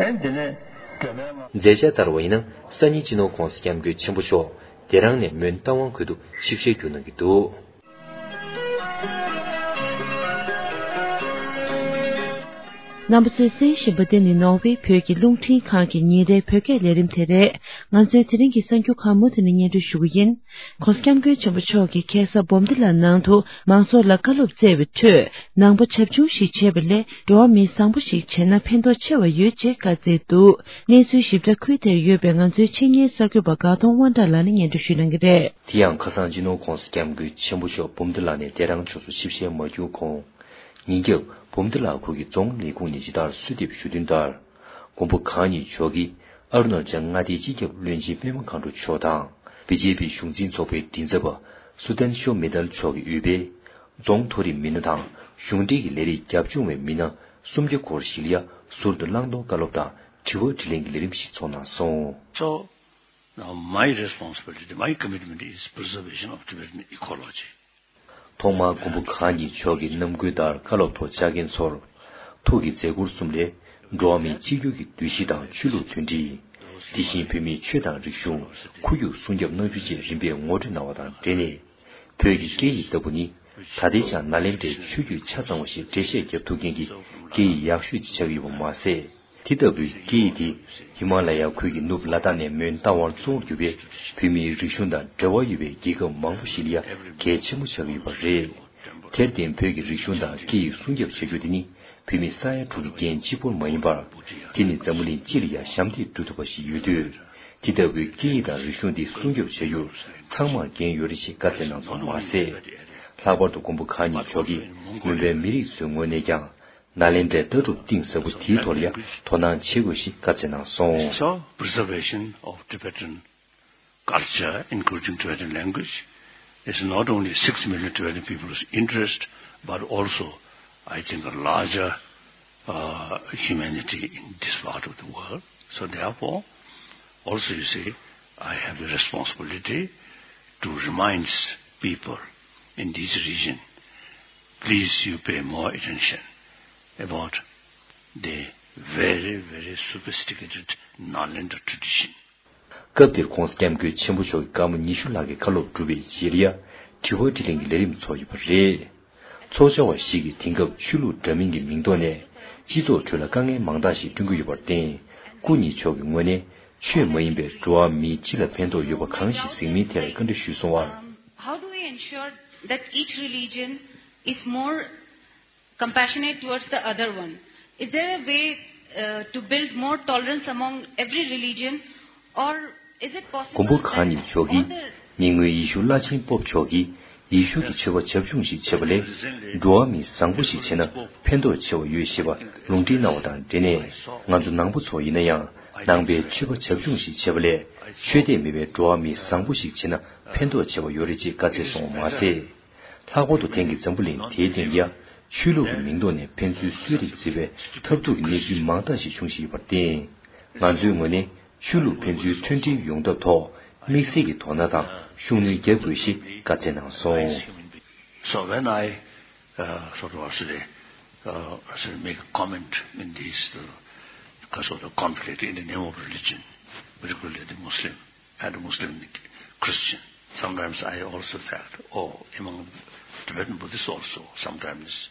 ཨེ་འདི་ནས་སྒྲོལ་མའི་སྔགས། མཛད་འཆར་ལྟར་བ་ཡིན་ན་སང་ཉིན་སྤྱི་ནོར་༸གོང་ས་༸སྐྱབས་མགོན་ཆེན་པོ་མཆོག་དེ་རང་ནས་མོན་རྟ་དབང་ཁུལ་དུ་ཆིབས་ཞལ་བསྒྱུར་གནང་གི་འདུག་རྣམ་པ་ཚོས་གསན་བཞིན་པ་འདི་ནི་ནོར་ཝེ་བོད་ཀྱི་རླུང་འཕྲིན་ཁང་གི་ཉིན་རེའི་བོད་སྐད་ལས་རིམ་དེ་རེད། ང་ཚོའི་དེ་རིང་གི་གསར་འགྱུར་ཁག་མུ་མཐུད་ནས་སྙན་སྒྲོན་ཞུ་གི་ཡིན། ༸གོང་ས་༸སྐྱབས་མགོན་ཆེན་པོ་མཆོག་གིས་ཁ་སང་འབུམ་སྡེ་ལ་ནང་དུ་མང་ཚོགས་ལ་བཀའ་སློབ་སྩལ་བའི་ཁྲོད། ནང་པ་བྱབ་ཆུང་ཞིག་བྱེད་པ་ལས་འགྲོ་བ་མི་བཟང་པོ་ཞིག་བྱས་ན་ཕན་ཐོགས་ཆེ་བ་ཡོད་ཅེས་བཀའ་སྩལ་འདུག་གནས་ཚུལ་ཞིབ་ཕྲ་ཁུལ་དེར་ཡོད་པའི་ང་ཚོའི་ཆེད་གཉེར་གསར་འགོད་པ་དགའ་གདོང་དབང་གྲགས་ལགས་ནས་སྙན་སྒྲོན་ཞུ་གནང་གི་རེད། དེ་ཡང་ཁ་སང་སྤྱི་ནོར་༸གོང་ས་༸སྐྱབས་མགོན་ཆེན་པོ་མཆོག་འབུམ་སྡེ་ལ་ནས་དེ་རང་ཕྱོགས་སུ་ཆིབས་ཞལ་མ་བསྒྱུར་གོང་། ཉིན་རྒྱབ་འབུམ་སྡེ་ལ་ཁུལ་གྱི་རྫོང་ལས་ཁུངས་ནས་ཇི་ལྟར་གསོལ་འདེབས་ཞུ་དོན་ལྟར། མགོན་པོ་གང་ཉིད་མཆོག་གིས་ཨ་རུ་ན་ཅལ་མངའ་སྡེའི་སྤྱི་ཁྱབ་བློན་ཆེན་པད་མ་མཁའ་འགྲོ་མཆོག་དང་། བི་ཇེ་པི་གཞུང་འཛིན་ཚོགས་པའི་མགྲིན་ཚབ་པ་སུ་དན་ཤོ་མེ་ཏལ་མཆོག་གིས་དབུས་པའི་རྫོང་མཐོ་རིམ་མི་སྣ་དང་གཞུང་འབྲེལ་གྱི་ལས་རིགས་རྒྱབ་ལྗོངས་པའི་མི་སྣ་སུམ་བརྒྱ་སྐོར་ཞིག་ལ་ཡ་ཟུར་དུ་བླང་དོར་བཀའ་སློབ་དང་དྲི་བ་དྲིས་ལན་གྱི་ལས་རིམ་ཞིག་ཚོགས་གནང་སོང་། So, now my responsibility, my commitment is preservation of Tibetan ecology. ཐོག་མར་མགོན་པོ་གང་ཉིད་མཆོག་གི་རྣམ་འགྱུར་ལྟར་བཀའ་སློབ་ཐོག་བཅར་མཁན་ཚོར། ཐུགས་ཀྱི་མཛད་ཁུར་གསུམ་ལས། འགྲོ་བ་མིའི་གཅིག་གྱུར་གྱི་འདུ་ཤེས་དང་ཆོས་ལུགས་མཐུན་སྒྲིལ། དེ་བཞིན་བོད་མིའི་ཆོས་དང་རིག་གཞུང་ཁོར་ཡུག་སྲུང་སྐྱོབ་གནང་རྒྱུ་བཅས་རིམ་པས་ངོ་སྤྲོད་གནང་བ་དང་འབྲེལ་ནས། བོད་ཀྱི་སྐད་ཡིག་ལྟ་བུ་ནི། ད་ལྟའི་ཆར་ནཱ་ལེནྡྲའི་ཆོས་བརྒྱུད་ཆ་ཚང་བ་ཞིག་འགྲེལ་བཤད་བརྒྱབ་ཐུབ་མཁན་གྱི་སྐད་ཡིག་ཡག་ཤོས་ཅིག་ཆགས་ཀྱི་ཡོད་པ་མ་ཟད། དེ་ལྟ་བུའི་སྐད་ཡིག་དེ་ཧི་མ་ལ་ཡ་ཁུལ་གྱི་ནུབ་ལ་དྭགས་ནས་མོན་རྟ་དབང་གཙོ་བོར་གྱུར་པའི་བོད་མིའི་རིག་གཞུང་དང་འབྲེལ་བ་ཡོད་པའི་རྒྱལ་ཁབ་མང་པོ་ཞིག་ལ་ཡ་གལ་ཆེན་པོ་ཆགས་ཀྱི་ཡོད་པ་རེད། དེར་བརྟེན་བོད་ཀྱི་རིག་གཞུང་དང་སྐད་ཡིག་སྲུང་སྐྱོབ་བྱ་རྒྱུ་དེ་ནི་བོད་མི་ས་ཡ་དྲུག་གི་འགན་གཅིག་པོར་མ་ཡིན་པར། དེ་ནི་འཛམ་བུ་གླིང་སྤྱི་ལ་ཡ་ཞབས་འདེགས་སྒྲུབ་ཐུབ་པ་ཞིག་ཡོད་དུས། དེ་ལྟ་བུའི་སྐད་ཡིག་དང་རིག་གཞུང་འདི་སྲུང་སྐྱོབ་བྱ་རྒྱུར་ཚང་མར་འགན་ཡོད་རེད་ཅེས་བཀའ་སྩལ་གནང་སོང་བ་མ་ཟད། ལྷག་པར་དུ་མགོན་པོ་གང་ཉིད་མཆོག་གིས་མོན་པའི་མི་རིགས་ཚོའི་ངོས་ནས་ཀྱང་། ནཱ་ལེནྡྲའི་ལྟ་གྲུབ་གཏིང་ཟབ་པོ་དེའི་ཐོག་ལ་ཡང་དོ་སྣང་བྱེད་དགོས་ཞེས་བཀའ་སྩལ་གནང་སོང་། So, preservation of Tibetan culture, including Tibetan language, is not only six million Tibetan people's interest, but also, I think, a larger, uh, humanity in this part of the world. So therefore, also, you see, I have the responsibility to remind people in this region, please you pay more attention about the very, very sophisticated Nagaland tradition. སྐབས་དེར་༧གོང་ས་༧སྐྱབས་མགོན་ཆེན་པོ་མཆོག་གིས་སྐར་མ་ཉི་ཤུ་ལྷག་གི་བཀའ་སློབ་བསྒྲུབས་པའི་རྗེས་ལ་ཡ། དྲི་བ་དྲིས་ལན་གྱི་ལས་རིམ་ཚོགས་ཡོད་པ་རེད། ཚོགས་བཅར་བ་ཞིག་གིས་དེང་སྐབས་ཆོས་ལུགས་འདྲ་མིན་གྱི་མིང་ཐོག་ནས་སྤྱི་ཚོགས་ཁྲོད་ལ་དཀའ་ངལ་མང་དག་ཞིག་བསྐྲུན་གྱི་ཡོད་པར་བརྟེན། སྐུ་ཉིད་མཆོག་གི་ངོས་ནས་ཆོས་མ་ཡིན་པའི་འགྲོ་བ་མིའི་སྤྱི་ལ་ཕན་ཐོགས་ཡོད་པ་གང་ཞིག་གཟིགས་མིན་ཐད་ལ་བཀའ་འདྲི་ཞུས་སོང་བར། Um, how do we ensure that each religion is more compassionate towards the other one? Is there a way uh, to build more tolerance among every religion, or is it possible མགོན་པོ་གང་ཉིད་མཆོག་གིས་ཉེ་སྔོན་ཡེ་ཤུ་བླ་ཆེན་པོབ་མཆོག་གིས་ཡེ་ཤུ་གི་ཆོས་པ་བྱབ་ཆུང་ཞིག་བྱས་པ་ལས་འགྲོ་བ་མི་བཟང་པོ་ཞིག་བྱས་ན་ཕན་ཐོགས་ཆེ་བ་ཡོད་ཞེས་པ་ལུང་འདྲེན་གནང་བ་དང་འབྲེལ་ནས། ང་ཚོ་ནང་པ་ཚོ་ཡིན་ན་ཡང་ནང་པའི་ཆོས་པ་བྱབ་ཆུང་ཞིག་བྱས་པ་ལས་ཆོས་དད་མེད་པའི་འགྲོ་བ་མི་བཟང་པོ་ཞིག་བྱས་ན་ཕན་ཐོགས་ཆེ་བ་ཡོད་རེད་ཅེས་བཀའ་སྩལ་སོང་བ་མ་ཟད། ལྷག་པར་དུ་དེང་གི་འཛམ་བུ་གླིང་དེའི་སྟེང་ལ་ཆོས་ལུགས་ཀྱི་མིང་ཐོག་ནས་ཕན་ཚུན་གསོད་རེས་བྱེད་པའི་ཐབས་སྡུག་གི་གནས་ཚུལ་མང་དག་ཞིག་བྱུང་བཞིན་ཡོད་པར་བརྟེན། ང་ཚོའི་ངོས་ནས་ཆོས་ལུགས་ཕན་ཚུན་མཐུན་སྒྲིལ་ཡོང་ཐབས་ཐོག་དམིགས་བསལ་གྱི་དོ་སྣང་དང་ཤུགས་སྣོན་རྒྱག་དགོས་ཞེས་བཀའ་སྩལ་གནང་སོང་། So when I uh, sort of say, uh, say make a comment in this uh, because of the conflict in the name of religion, particularly the Muslim, and Muslim Christian. Sometimes I also felt, oh, among Tibetan Buddhists also, sometimes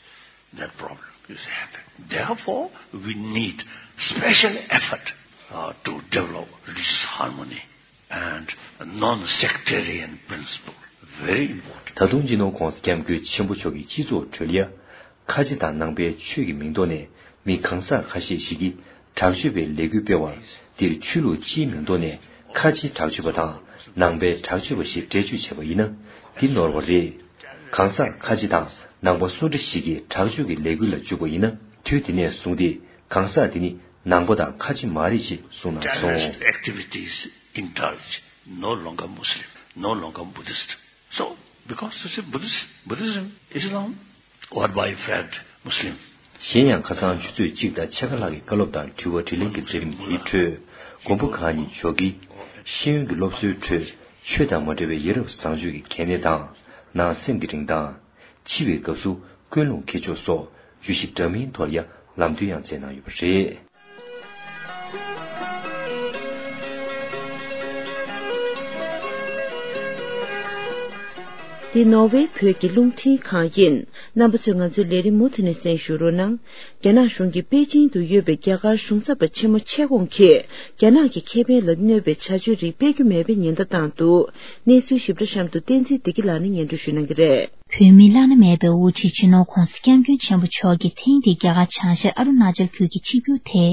that problem is happening. Therefore, we need special effort uh, to develop religious harmony and non-sectarian principle. Very important. ད་དུང་སྤྱི་ནོར་༧གོང་ས་༧སྐྱབས་མགོན་ཆེན་པོ་མཆོག་གིས་སྤྱི་ཚོགས་ཁྲོད་ལ་ཡ། ཁ་ཆེ་དང་ནང་པའི་ཆོས་ཀྱི་མིང་ཐོག་ནས་མི་གང་ཟག་ཁ་ཤས་ཤིག་གིས་དྲག་སྤྱོད་པའི་ལས་འགུལ་སྤེལ་བར། འདིར་ཆོས་ལུགས་སྤྱིའི་མིང་ཐོག་ནས་ཁ་ཆེ་དྲག་སྤྱོད་པ་དང་ནང་པའི་དྲག་སྤྱོད་པ་ཞེས་འགྲེལ་བརྗོད་བྱས་པ་ཡིན་ན། འདི་ནོར་བ་རེད། གང་ཟག་ཁ་ཆེ་དང་ནང་པ་སུ་འདྲ་ཞིག་གིས་དྲག་སྤྱོད་ཀྱི་ལས་འགུལ་ལ་འཇུག་པ་ཡིན་ན། དུས་དེ་ནས་བཟུང་སྟེ་གང་ཟག་དེ་ནི་ནང་པ་དང་ཁ་ཆེ་མ་རེད་ཅེས་གསུངས་གནང་སོང་། Terrorist activities indulge, no longer Muslim, no longer Buddhist. So, because you see, Buddhist, Buddhism, Islam, what by fact Muslim? གཞན་ཡང་ཁ་སང་ཆུ་ཚོད་གཅིག་དང་ཕྱེད་ཀ་ལྷག་གི་བཀའ་སློབ་དང་དྲི་བ་དྲིས་ལན་གྱི་མཛད་རིམ་དེའི་ཁྲོད། མགོན་པོ་གང་ཉིད་མཆོག་གིས་ཤེས་ཡོན་གྱི་སློབ་གསོའི་ཁྲོད་ཆོས་དང་མ་འབྲེལ་བའི་ཡ་རབས་བཟང་སྤྱོད་ཀྱི་གལ་གནད་དང་། ནང་སེམས་ཀྱི་རིན་ཐང་། འཆི་བའི་སྐབས་སུ་ཀུན་སློང་ཁེ་ཕྱོགས་སོགས་བརྗོད་གཞི་འདྲ་མིན་ཐོག་ལ་ཡང་ལམ་སྟོན་ཡང་མཛད་གནང་ཡོད་པ་རེད། འདི་ནོར་ཝེ་བོད་ཀྱི་རླུང་འཕྲིན་ཁང་ཡིན། རྣམ་པ་ཚོས་ང་ཚོའི་ལས་རིམ་མུ་མཐུད་ནས་གསན་ཞུ་རོགས་གནང་། རྒྱ་ནག་གཞུང་གིས་པེ་ཅིང་དུ་ཡོད་པའི་རྒྱ་གར་གཞུང་ཚབ་པ་ཆེན་མོ་ཆེ་ཁོང་གིས་རྒྱ་ནག་གི་ཁེ་ཕན་ལ་གནོད་པའི་བྱ་སྤྱོད་རིགས་སྤེལ་རྒྱུ་མེད་པའི་ཉེན་བརྡ་བཏང་འདུག་གནས་ཚུལ་ཞིབ་ཕྲ་གཤམ་དུ་བསྟན་འཛིན་བདེ་སྐྱིད་ལགས་ནས་སྙན་སྒྲོན་ཞུ་གནང་གི་རེད། བོད་མི་བླ་ན་མེད་པའི་དབུ་ཁྲིད་སྤྱི་ནོར་༧གོང་ས་༧སྐྱབས་མགོན་ཆེན་པོ་མཆོག་གིས་ཐེངས་འདིའི་རྒྱ་གར་བྱང་ཤར་ཨ་རུ་ན་ཅལ་ཁུལ་གྱི་ཆིབས་བསྒྱུར་དེ།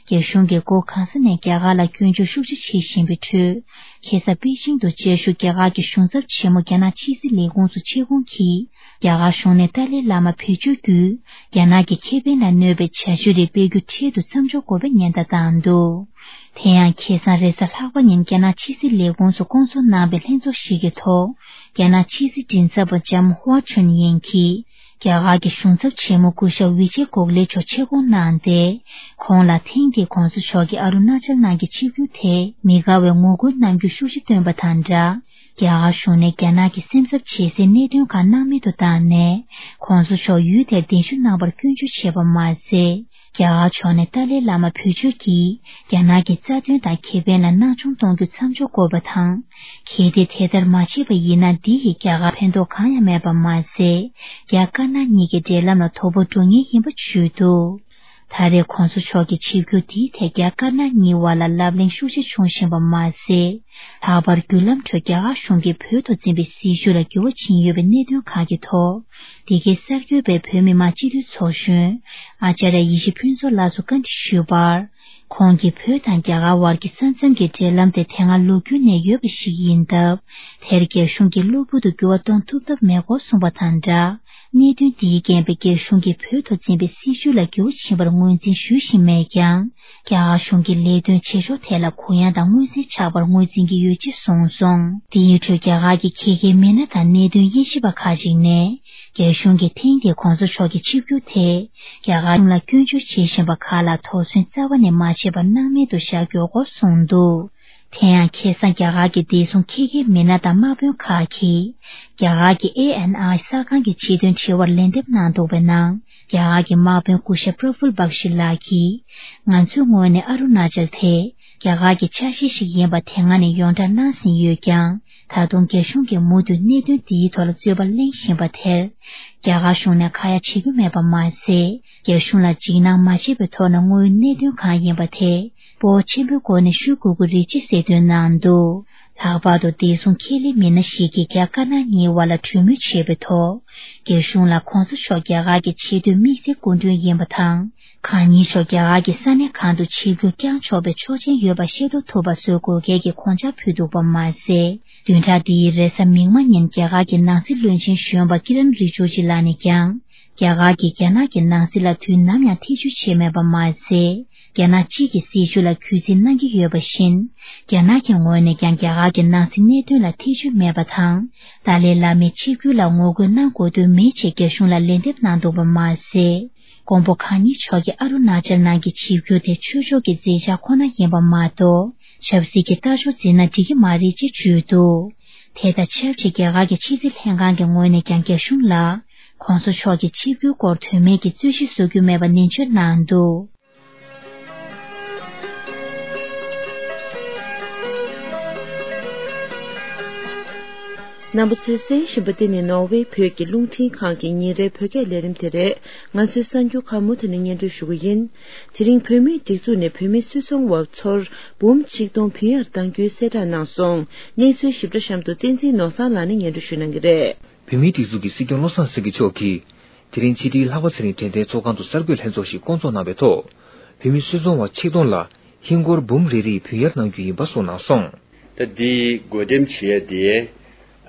རྒྱ་གཞུང་གིས་སྒོ་གང་ས་ནས་རྒྱ་གར་ལ་སྐྱོན་བརྗོད་ཤུགས་ཆེ་བྱེད་བཞིན་པའི་ཁྲོད། ཁ་སང་པེ་ཅིང་དུ་བཅའ་བཞུགས་རྒྱ་གར་གྱི་གཞུང་ཚབ་ཆེན་མོ་རྒྱ་ནག་ཕྱི་སྲིད་ལས་ཁུངས་སུ་ཆེ་ཁོང་གིས། རྒྱ་གར་གཞུང་ནས་ཏཱ་ལའི་བླ་མ་བེད་སྤྱོད་བརྒྱུད། རྒྱ་ནག་གི་ཁེ་ཕན་ལ་གནོད་པའི་བྱ་སྤྱོད་རིགས་སྤེལ་རྒྱུ་འཕྲལ་དུ་མཚམས་འཇོག་དགོས་པའི་ཉེན་བརྡ་བཏང་འདུག་དེ་ཡང་ཁ་སང་རེས་གཟའ་ལྷག་པ་ཉིན་རྒྱ་ནག་ཕྱི་སྲིད་ལས་ཁུངས་སུ་བསྐོང་ཚོགས་གནང་བའི་ལྷན་ཚོགས་ཤིག་གི་ཐོག་རྒྱ་ནག་ཕྱི་སྲིད་མགྲིན་ཚབ་པ་ལྕམ་ཧྭ་ཁྲུན་ཡིན་གྱིས། རྒྱ་གར་གྱི་གཞུང་ཚབ་ཆེན་མོ་སྐུ་ཞབས་ཝི་ཇེ་གོག་ལེ་མཆོག་ཆེད་བསྐོང་གནང་སྟེ། ཁོང་ལ་ཐེངས་འདིའི་༧གོང་ས་མཆོག་གི་ཨ་རུ་ན་ཅལ་ནང་གི་ཆིབས་བསྒྱུར་དེས་མི་དགའ་བའི་ངོ་རྒོལ་གནང་རྒྱུ་ཤུགས་ཆེ་བཏོན་པ་དང་སྦྲགས། རྒྱ་གར་གཞུང་ནས་རྒྱ་ནག་གི་སེམས་འཚབ་བྱེད་སའི་གནད་དོན་ཁག་སྣང་མེད་དུ་བཏང་ནས། ༧གོང་ས་མཆོག་ཡུལ་དེར་གདན་ཞུ་གནང་བར་སྐྱོན་བརྗོད་བྱས་པ་མ་ཟད། རྒྱ་གར་ཕྱོགས་ནས་ཏཱ་ལའི་བླ་མ་བེད་སྤྱོད་ཀྱིས་རྒྱ་ནག་གི་རྩ་དོན་དང་ཁེ་ཕན་ལ་སྣང་ཆུང་གཏོང་རྒྱུ་མཚམས་འཇོག་དགོས་པ་དང་། གལ་ཏེ་དེ་ལྟར་མ་བྱས་པ་ཡིན་ན། འདི་ཡིས་རྒྱ་གར་ཕན་ཐོགས་གང་ཡང་མེད་པ་མ་ཟད། རྒྱ་དཀར་ནག་གཉིས་ཀྱི་འབྲེལ་ལམ་ལ་དོ་ཕོག་འགྲོ་ངེས་ཡིན་པ་བརྗོད་འདུག་ད་རེས་༧གོང་ས་མཆོག་གི་ཆིབས་བསྒྱུར་འདིའི་ཐད་རྒྱ་དཀར་ནག་གཉིས་བར་ལ་ལབ་གླེང་ཤུགས་ཆེ་བྱུང་བཞིན་པ་མ་ཟད། ལྷག་པར་བརྒྱུད་ལམ་ཁྲོད་རྒྱ་གར་གཞུང་གིས་བོད་དུ་འཛིན་པའི་སྲིད་བྱུས་ལ་འགྱུར་བ་ཕྱིན་ཡོད་པའི་གནད་དོན་ཁག་གི་ཐོག་འདི་གའི་གསར་འགོད་པས་བོད་མི་མང་སྤྱི་འཐུས་ཚོགས་གཞོན་ཨ་ཅཱརྱ་ཡེ་ཤེས་ཕུན་ཚོགས་ལགས་སུ་བཀའ་འདྲི་ཞུས་པར། ཁོང་གིས་བོད་དང་རྒྱ་གར་བར་གྱི་ས་མཚམས་ཀྱི་འབྲེལ་ལམ་དེ་དེ་སྔ་ལོ་རྒྱུས་ནས་ཡོད་པ་ཞིག་ཡིན་སྟབས། དེར་རྒྱ་གཞུང་གིས་གློ་བུར་དུ་འགྱུར་བ་གཏོང་ཐུབ་ཐབས་མེད་སྐོར་གསུངས་པ་དང་སྦྲགས། གནད་དོན་འདིའི་རྐྱེན་པས་རྒྱ་གཞུང་གིས་བོད་དུ་འཛིན་པའི་སྲིད་བྱུས་ལ་འགྱུར་བ་ཕྱིན་པར་ངོས་འཛིན་ཞུ་བཞིན་མེད་ཀྱང་། རྒྱ་གར་གཞུང་གི་ལས་དོན་བྱེད་ཕྱོགས་ཐད་ལ་གུ་ཡངས་དང་མངོན་གསལ་ཆགས་པར་ངོས་འཛིན་གྱི་ཡོད་ཅེས་གསུངས་སོང་། འདིའི་ཁྲོད་རྒྱ་གར་གྱི་ཁྱད་མཁས་མི་སྣ་དང་གནད་དོན་དབྱེ་ཞིབ་པ་ཁག་ཅིག་ནས། རྒྱ་གཞུང་གིས་ཐེངས་འདིའི་༧གོང་ས་མཆོག་གི་ཆིབས་བསྒྱུར་དེས། རྒྱ་གར་གཞུང་ལ་སྐྱོན་བརྗོད་བྱེད་བཞིན་པ་ཁག་ལ་དོགས་ཟོན་རྩ་བ་ནས་མ་བྱས་པར་སྣང་མེད་དུ་བཞག་དགོས་སྐོར་གསུངས་འདུག་དེ་ཡང་ཁ་སང་རྒྱ་གར་གྱི་བདེ་སྲུང་འཁྱེར་མཁན་མི་སྣ་དང་དམག་དཔོན་ཁག་གིས་རྒྱ་གར་གྱི་ཨེ་ཨེན་ཨའི་གསར་ཁང་གི་ཆེད་དོན་དྲི་བར་ལན་འདེབས་གནང་འདུག་པའི་ནང་། རྒྱ་གར་གྱི་དམག་དཔོན་སྐུ་ཞབས་པྲ་ཕུལ་བག་ཤི་ལགས་ཀྱིས། ང་ཚོའི་ངོས་ནས་ཨ་རུ་ན་ཅལ་དེ་རྒྱ་གར་གྱི་ཆ་ཤས་ཤིག་ཡིན་པ་དེ་སྔ་ནས་ཡོངས་གྲགས་གནང་ཟིན་ཡོད་ཀྱང་། ད་དུང་རྒྱ་གཞུང་གིས་མུ་མཐུད་གནད་དོན་འདིའི་ཐོག་ལ་རྩོད་པ་གླེང་བཞིན་པ་དེར། རྒྱ་གར་གཞུང་ནས་ཁ་ཡ་བྱེད་ཀྱི་མེད་པ་མ་ཟད། རྒྱ་གཞུང་ལ་འཇིགས་སྣང་མ་བྱེད་པའི་ཐོག་ནས་དངོས་ཡོད་གནད་དོན་གང་ཡིན་པ་དེ་སྤོབས་པ་ཆེན་པོའི་སྒོ་ནས་ཞུ་དགོས་ཀྱི་རེད་ཅེས་གསལ་སྟོན་གནང་འདུག་ལྷག་པར་དུ་བདེ་སྲུང་འཁྱེར་གླེང་མི་སྣ་ཞིག་གིས་རྒྱ་དཀར་ནག་གཉིས་བར་ལ་གྲོས་མོལ་བྱས་པའི་ཐོག་རྒྱ་གཞུང་ལ་གོང་ས་མཆོག་རྒྱ་གར་གྱི་ཆེས་མཐོའི་དམིགས་བསལ་སྐུ་མགྲོན་ཡིན་པ་དང་། གང་ཉིད་མཆོག་རྒྱ་གར་གྱི་ས་གནས་གང་དུ་ཆིབས་བསྒྱུར་བསྐྱངས་ཆོག་པའི་ཆོག་མཆན་ཡོད་པ་ཤེས་རྟོགས་ཐུབ་པ་བཟོ་དགོས་གལ་གྱི་དགོངས་འཆར་ཕུལ་འདུག་པ་མ་ཟད། བདུན་ཕྲག་འདིའི་རེས་གཟའ་མིག་དམར་ཉིན་རྒྱ་གར་གྱི་ནང་སྲིད་བློན་ཆེན་གཞོན་པ་ཀི་རན་རི་ཇུ་ཇི་ལགས་ནས་ཀྱང་། རྒྱ་གར་གྱིས་རྒྱ་ནག་གི་ནང་སྲིད་ལ་དུས་ནམ་ཡང་ཐེ་བྱུས་བྱས་མེད་པ་མ་ཟད། རྒྱ་ནག་གཅིག་གི་སྲིད་བྱུས་ལ་གུས་བརྩི་གནང་གི་ཡོད་པ་བཞིན། རྒྱ་ནག་གི་ངོས་ནས་ཀྱང་རྒྱ་གར་གྱི་ནང་སྲིད་གནད་དོན་ལ་ཐེ་བྱུས་མེད་པ་དང་། ཏཱ་ལའི་བླ་མའི་ཆིབས་བསྒྱུར་ལ་ངོ་རྒོལ་གནང་དགོས་དོན་མེད་ཅེས་རྒྱ་གཞུང་ལ་ལན་འདེབས་གནང་འདུག་པ་མ་ཟད། མགོན་པོ་གང་ཉིད་མཆོག་གི་ཨ་རུ་ན་ཅལ་ནང་གི་ཆིབས་བསྒྱུར་དེ་ཆོས་ཕྱོགས་ཀྱི་མཛད་འཆར་ཁོ་ན་ཡིན་པ་མ་གཏོགས། ཆབ་སྲིད་ཀྱི་ལྟ་ཕྱོགས་འཛིན་ན་འགྲིག་གི་མ་རེད་ཅེས་བརྗོད་འདུག་དེ་དང་ཆབས་ཅིག་རྒྱ་གར་གྱི་ཕྱི་སྲིད་ལྷན་ཁང་གི་ངོས་ནས་ཀྱང་རྒྱ་གཞུང་ལ། གོང་ས་མཆོག་གི་ཆིབས་བསྒྱུར་སྐོར་དོན་མེད་ཀྱི་རྩོད་གཞི་བཟོ་རྒྱུ་མེད་པ་ནན་བརྗོད་གནང་འདུག་རྣམ་པ་ཚོས་གསན་བཞིན་པ་འདི་ནི་ནོར་ཝེ་བོད་ཀྱི་རླུང་འཕྲིན་ཁང་གི་ཉིན་རེའི་བོད་སྐད་ལས་རིམ་དེ་རེད། ང་ཚོའི་གསར་འགྱུར་ཁག་མུ་མཐུད་ནས་སྙན་སྒྲོན་ཞུ་གི་ཡིན། དེ་རིང་བོད་མིའི་སྒྲིག་འཛུགས་ནས་བོད་མི་སུད་ཚོང་བ་ཚོར་འབུམ་ཆིག་སྟོང་བུན་གཡར་གཏང་རྒྱུའི་གསལ་བསྒྲགས་གནང་སོང་། གནས་ཚུལ་ཞིབ་ཕྲ་གཤམ་དུ་བསྟན་འཛིན་ནོར་བཟང་ལགས་ནས་སྙན་སྒྲོན་ཞུ་གནང་གི་རེད། བོད་མིའི་སྒྲིག་འཛུགས་ཀྱི་སྲིད་སྐྱོང་བློ་བཟང་སེང་གེ་མཆོག་གིས། དེ་རིང་ཕྱི་དྲིལ་ལྷག་པ་ཚེ་རིང་དྲན་རྟེན་ཚོགས་ཁང་དུ་གསར་འགོད་ལྷན་ཚོགས་ཤིག་བསྐོང་ཚོགས་གནང་བའི་ཐོག་བོད་མི་སུད་ཚོང་བ་ཆིག་སྟོང་ལ་ཧིན་སྒོར་འབུམ་རེ་རེའི་བུན་གཡར་གནང་རྒྱུ་ཡིན་པ་གསུངས་གནང་སོང་། ད་འདི་བགོ་འགྲེམས་བྱེད་ཡ་དེ་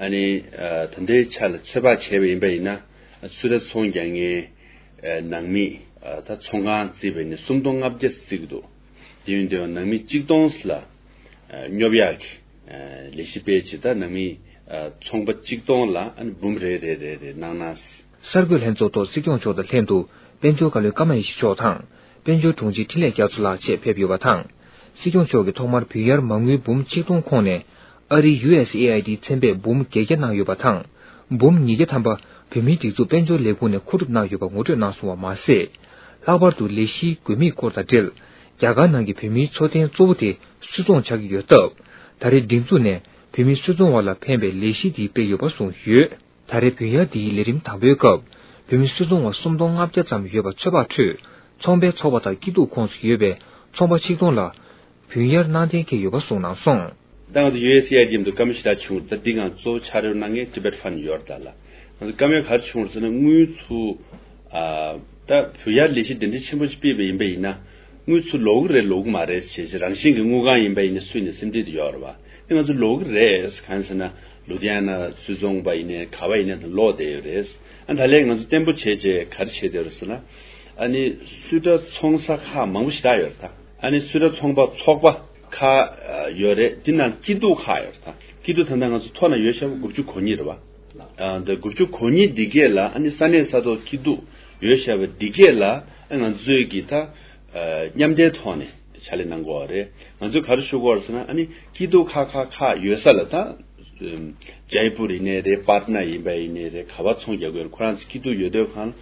ཨ་ནི་ད་ལྟའི་ཆ་ལ་ཚོད་དཔག་བྱས་པ་ཡིན་པ་ཡིན་ན། སུད་ར་ཚོང་རྒྱག་མཁན་ནང་མི་ད་ཚོང་ཁང་བརྩིས་པ་ཡིན་ན་སུམ་སྟོང་ལྔ་བརྒྱ་བརྩི་གི་འདུག་དེ་ཡིན་དུས་ནང་མི་གཅིག་སྟོང་ལ་སྙོབ་ཡག་གི་ལས་གཞི་སྤེལ་བྱེད། ད་ནང་མི་ཚོང་པ་གཅིག་སྟོང་ལ་ཨ་ནི་འབུམ་རེ་རེ་རེ་རེ་གནང་ན། གསར་འགོད་ལྷན་ཚོགས་ཐོག་སྲིད་སྐྱོང་མཆོག་དང་ལྷན་དུ་དཔལ་འབྱོར་བཀའ་བློན་ཀརྨ་ཡེ་ཤེས་མཆོག་དང་། དཔལ་འབྱོར་དྲུང་ཆེ་འཕྲིན་ལས་རྒྱ་མཚོ་ལགས་བཅས་ཕེབས་ཡོད་པ་དང་། སྲིད་སྐྱོང་མཆོག་གིས་ཐོག་མར་བུན་གཡར་མ་དངུལ་འབུམ་ཆིག་སྟོང་ཁོངས་ནས། ཨ་རིའི་ཡུ་ཨེས་ཨེ་ཨའི་ཌི་ཚན་པས་འབུམ་བརྒྱད་བརྒྱ་གནང་ཡོད་པ་དང་། འབུམ་ཉིས་བརྒྱ་ཐམ་པ་བོད་མིའི་སྒྲིག་འཛུགས་དཔལ་འབྱོར་ལས་ཁུངས་ནས་མཁོ་སྒྲུབ་གནང་ཡོད་པ་ངོ་སྤྲོད་གནང་སོང་བ་མ་ཟད། ལྷག་པར་དུ་ལས་གཞིའི་དགོས་དམིགས་སྐོར་དང་འབྲེལ། རྒྱ་གར་ནང་གི་བོད་མིའི་འཚོ་རྟེན་གཙོ་བོ་དེ་སུད་ཚོང་ཆགས་ཀྱི་ཡོད་སྟབས། ད་རེས་སྒྲིག་འཛུགས་ནས་བོད་མི་སུད་ཚོང་བ་ལ་ཕན་པའི་ལས་གཞི་འདི་སྤེལ་ཡོད་པ་གསུངས་ཡོད། ད་རེས་བུན་གཡར་འདིའི་ལས་རིམ་དང་པོའི་སྐབས། བོད་མི་སུད་ཚོང་བ་སུམ་སྟོང་ལྔ་བརྒྱ་ཙམ་ཡོད་པ་ཚོད་དཔག་ཁྲོད། ཚོང་པའི་ཚོགས་པ་དང་སྐྱིད་སྡུག་ཁོངས་སུ་ཡོད་པའི་ཚོང་པ་ཆིག་སྟོང་ལ། བུན་གཡར་གནང་གཏན་འཁེལ་ཡོད་པ་གསུངས་གནང་སོང་། ད་ང་ཚོ་ཡུ་ཨེས་ཨེ་ཨའི་ཌི་འདུག་བཀའ་མོལ་ཞེ་དྲག་བྱུང་། ད་འདི་ང་ཚོ་ཕྱག་རོགས་གནང་མཁན་Tibet Fund ཡོད་རེད་ད་ལ། ང་ཚོ་བཀའ་མོལ་ག་རེ་བྱུང་རེད་ཟེར་ན། དངུལ་ཚུར་ཨ་ད་བུན་གཡར་ལས་གཞི་འདི་འདྲ་ཆེན་པོ་ཞིག་སྤེལ་བ་ཡིན་པ་ཡིན་ན། དངུལ་ཚུར་ལོག་གི་རེད་ལོག་གི་མ་རེད་ཞེས་རང་བཞིན་གྱི་དངུལ་ཁང་ཡིན་པ་ཡིན་ན་སུས་ནས་སེམས་ཁྲལ་དེ་ཡོད་རེད་བ། ཨ་ང་ཚོ་ལོག་གི་རེད། གང་ཟེར་ན་ལུ་དྷི་ཡ་ན་སུད་ཚོང་པ་ཡིན་ནའི་ག་བ་ཡིན་ནའི་ད་ལོག་བསྡད་ཡོད་རེད། ཨ་ད་ལན་ང་ཚོ་བརྟན་པོ་བྱས་བྱས་ག་རེ་བྱས་བསྡད་ཡོད་རེད་ཟེར་ན། ཨ་ནི་སུད་ཊ་ཚོང་ས་ཁག་མང་པོ་ཞེ་དྲག་ཡོད་རེད་ད། ཨ་ནི་སུད་ཊ་ཚོང་པ་ཚོགས་པ་ཁག་ཡོད་རེད། དེ་ནང་སྐྱིད་སྡུག་ཁག་ཡོད་རེད་ད། སྐྱིད་སྡུག་ད་ལྟ་ང་ཚོ་ཐོག་ན་ཡོད་བཞག་པ་དགུ་བཅུ་གོ་གཉིས་རེད་བ། ཨ་འདི་དགུ་བཅུ་གོ་གཉིས་འདི་གས་ལ་ཨ་ནི་ས་གནས་ས་ཐོག་སྐྱིད་སྡུག་ཡོད་བཞག་པ་འདི་གས་ལ་ཨ་ང་ཚོས་ཀྱི་ད་ཨ་མཉམ་འབྲེལ་ཐོག་ནས་ཕྱག་ལས་གནང་དགོས་པ་རེད། ང་ཚོས་ག་རེ་ཞུ་དགོས་རེད་ཟེར་ན། ཨ་ནི་སྐྱིད་སྡུག་ཁག་ཁག་ཁག་ཡོད་ས་ལ་ད་ཨམ་ཇའི་པུར་ཡིན་ནའི་རེད། པཊ་ན་ཡིན་པ་ཡིན་ནའི་རེད། ག་པར་ཚོང་རྒྱག་དགོས་རེད། ཁོ་རང་ཚོ་སྐྱིད་སྡུག་ཡོད་དུས་གང་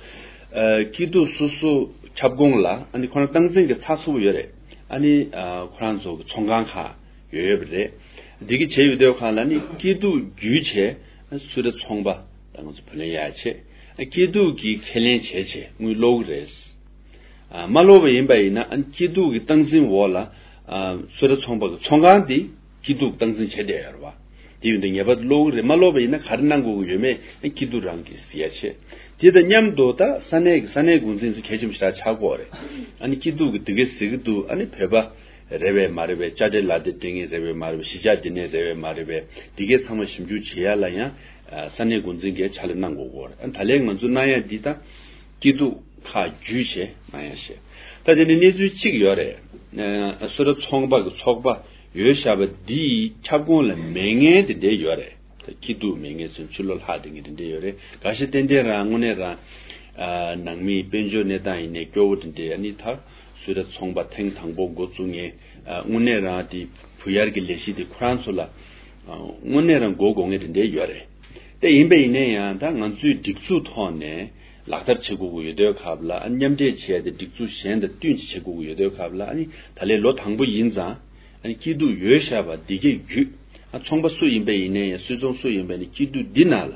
ཨ་སྐྱིད་སྡུག་སོ་སོ་ཁྱབ་ཁོངས་ལ་ཨ་ནི་ཁོ་རང་སྟངས་འཛིན་གྱི་ཚགས་ཚུད་པོ་ཡོད་རེད། ཨ་ནི་ཨ་ཁོ་རང་ཚོ་གི་ཚོང་ཁང་ཁག་ཡོད་ཡོད་པ་རེད། འདི་གི་བྱས་ཡོད་དུས་གང་ལ་ནི་སྐྱིད་སྡུག་བརྒྱུད་བྱས་སུད་ཊ་ཚོང་པ་ལ་ང་ཚོ་བུ་ལོན་གཡར་བྱས། སྐྱིད་སྡུག་གི་ཁས་ལེན་བྱས་བྱས་དངུལ་སློག་གི་རེད། ཨ་མ་སློག་པ་ཡིན་པ་ཡིན་ན་ཨ་སྐྱིད་སྡུག་གི་སྟངས་འཛིན་འོག་ལ་ཨ་སུད་ཊ་ཚོང་པ་གི་ཚོང་ཁང་འདི་སྐྱིད་སྡུག་སྟངས་འཛིན་བྱས་བསྡད་ཡོད་རེད་བ། དེ་ཡིན་དུས་ངེས་པར་དུ་སློག་གི་རེད། མ་སློག་པ་ཡིན་ན་ག་རེ་གནང་དགོས་ཀྱི་ཡོད་མེད་ཨ་སྐྱིད་སྡུག་རང་གིས་གཟིགས་ཡ་བྱས། དེ་དང་མཉམ་དུ་ད་ས་གནས་ཀྱི་ས་གནས་འགོ་འཛིན་ཚོ་གལ་ཆེན་པོ་ཞེ་དྲག་ཆགས་ཀྱི་ཡོད་རེད། ཨ་ནི་སྐྱིད་སྡུག་གི་འདི་གས་གཟིགས་ཀྱི་འདུག་ཨ་ནི་བོད་པ་རེད་པས་མ་རེད་པས། དཔྱ་ཁྲལ་ལག་དེབ་སྤྲད་མཁན་རེད་པས་མ་རེད་པས། གཞིས་ཆགས་འདི་ནས་རེད་པས་མ་རེད་པས། འདི་གས་ཚང་མ་ཞིབ་འཇུག་བྱེད་ཡ་ལ་ཡང་ཨ་ས་གནས་འགོ་འཛིན་གྱིས་ཕྱག་ལས་གནང་དགོས་ཀྱི་ཡོད་རེད། ཨ་ནི་ད་ལན་ང་ཚོ་གནང་ཡ་འདི་ད་སྐྱིད་སྡུག་ཁག་བརྒྱུད་བྱས་གནང་ཡ་བྱས། ད་དེ་ནི་གནས་ཚུལ་གཅིག་ཡོད་རེད། ཨ་སུད་ཊ་ཚོང་པ་གི་ཚོགས་པ་ཡོད་བཞག་པ་འདིའི་ཁྱབ་ཁོངས་ལ་མེད་མཁན་དེ་འདྲས་ཡོད་རེད། ད་སྐྱིད་སྡུག་མེད་མཁན་ཚོ་ཕྱི་ལོགས་ལྷག་བསྡད་མཁན་དེ་འདྲས་ཡོད་རེད། འགའ་ཤས་ཏན་ཏན་རང་དངོས་གནས་རང་ཨ་ནང་མིའི་དཔལ་འབྱོར་གནས་སྟངས་ཡིན་ནའི་སྐྱོ་བོ་དེ་འདྲས། ཨ་ནི་ད་ སུད་ཊ་ཚོང་པ་ཐེངས་དང་པོ་འགོ་བཙུགས་མཁན། ཨ། དངོས་གནས་རང་དེ་བུ་གཡར་གྱི་ལས་གཞི་དེ་ཁོ་རང་ཚོ་ལ། ཨ། དངོས་གནས་རང་མགོ་སྒུར་མཁན་དེ་འདྲ་ཡོད་རེད། དེ་ཡིན་པ་ཡིན་ན་ཡང་ད་ང་ཚོའི་སྒྲིག་འཛུགས་ཐོག་ནས་ལག་བསྟར་བྱེད་དགོས་ཀྱི་ཡོད་དུས་སྐབས་ལ། ཨ། མཉམ་འབྲེལ་བྱས་ཏེ་སྒྲིག་འཛུགས་གཞན་དང་བསྟུན་ཅིག་བྱེད་དགོས་ཀྱི་ཡོད་དུས་སྐབས་ལ། ཨ་ནི་ད་ལོའི་ལོ་དང་པོ་ཡིན་ཙང་། ཨ་ནི་སྐྱིད་སྡུག་ཡོད་བཞག་པ་འདི་གའི་བརྒྱུད། ཨ། ཚོང་པ་སུ་ཡིན་པ་ཡིན་ནའི་ཡང་སུད་ཚོང་སུ་ཡིན་པ་ཡིན་ནའི་སྐྱིད་སྡུག་འདི་ནང་ལ་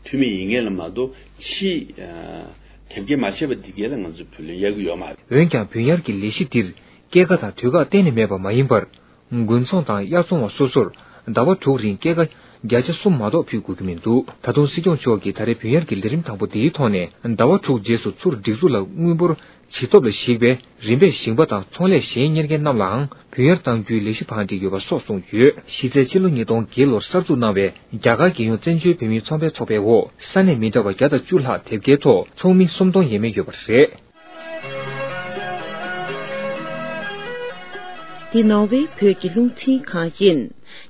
འཐུས་མི་ཡིན་མཁན་ལ་མ་གཏོགས་ཕྱི། ཨ། དེབ་སྐྱེལ་མ་བྱས་པ་འདི་གའི་ལ་ང་ཚོས་བུ་ལོན་གཡར་གྱི་ཡོད་མ་རེད། འོན་ཀྱང་བུ་གཡར་གྱི་ལས་གཞི་འདིར་སྐྱེད་ཀ་དང་དུས་བཀག་གཏན་ནས་མེད་པ་མ་ཡིན་པར། དགུན་ཚོང་དང་དབྱར་ཚོང་བ་སོ་སོར་ཟླ་བ་དྲུག་རིང་སྐྱེད་ཀ་བརྒྱ་ཆ་གསུམ་མ་གཏོགས་ཕུལ་དགོས་ཀྱི་མི་འདུག་ད་དུང་སྲིད་སྐྱོང་མཆོག་གིས་ད་རེས་བུ་གཡར་གྱི་ལས་རིམ་དང་པོ་འདིའི་ཐོག་ནས་ཟླ་བ་དྲུག་རྗེས་སུ་ཚུར་སྒྲིག་འཛུགས་ལ་དངུལ་འབོར་ཇེ་སྟོབས་ལ་གཞིགས་པའི་རིམ་པས་ཞིང་པ་དང་ཚོང་ལས་གཞན་གཉེར་མཁན་རྣམས་ལའང་བུ་གཡར་གཏང་རྒྱུའི་ལས་གཞི་བང་སྒྲིག་ཡོད་པ་སོགས་གསུངས་ཡོད། གཞི་རྩའི་ཕྱི་ལོ་ཉིས་སྟོང་བརྒྱད་ལོར་གསར་འཛུགས་གནང་བའི་རྒྱ་གར་རྒྱལ་ཡོངས་བཙན་བྱོལ་བོད་མིའི་ཚོང་པའི་ཚོགས་པའི་འོག་ས་གནས་མི་འདྲ་བ་བརྒྱ་དང་བཅུ་ལྷག་དེབ་སྐྱེལ་ཐོག་ཚོགས་མི་སུམ་སྟོང་ཡས་མས་ཡོད་པ་རེད། འདི་ནོར་ཝེ་བོད་ཀྱི་རླུང་འཕྲིན་ཁང་ཡིན།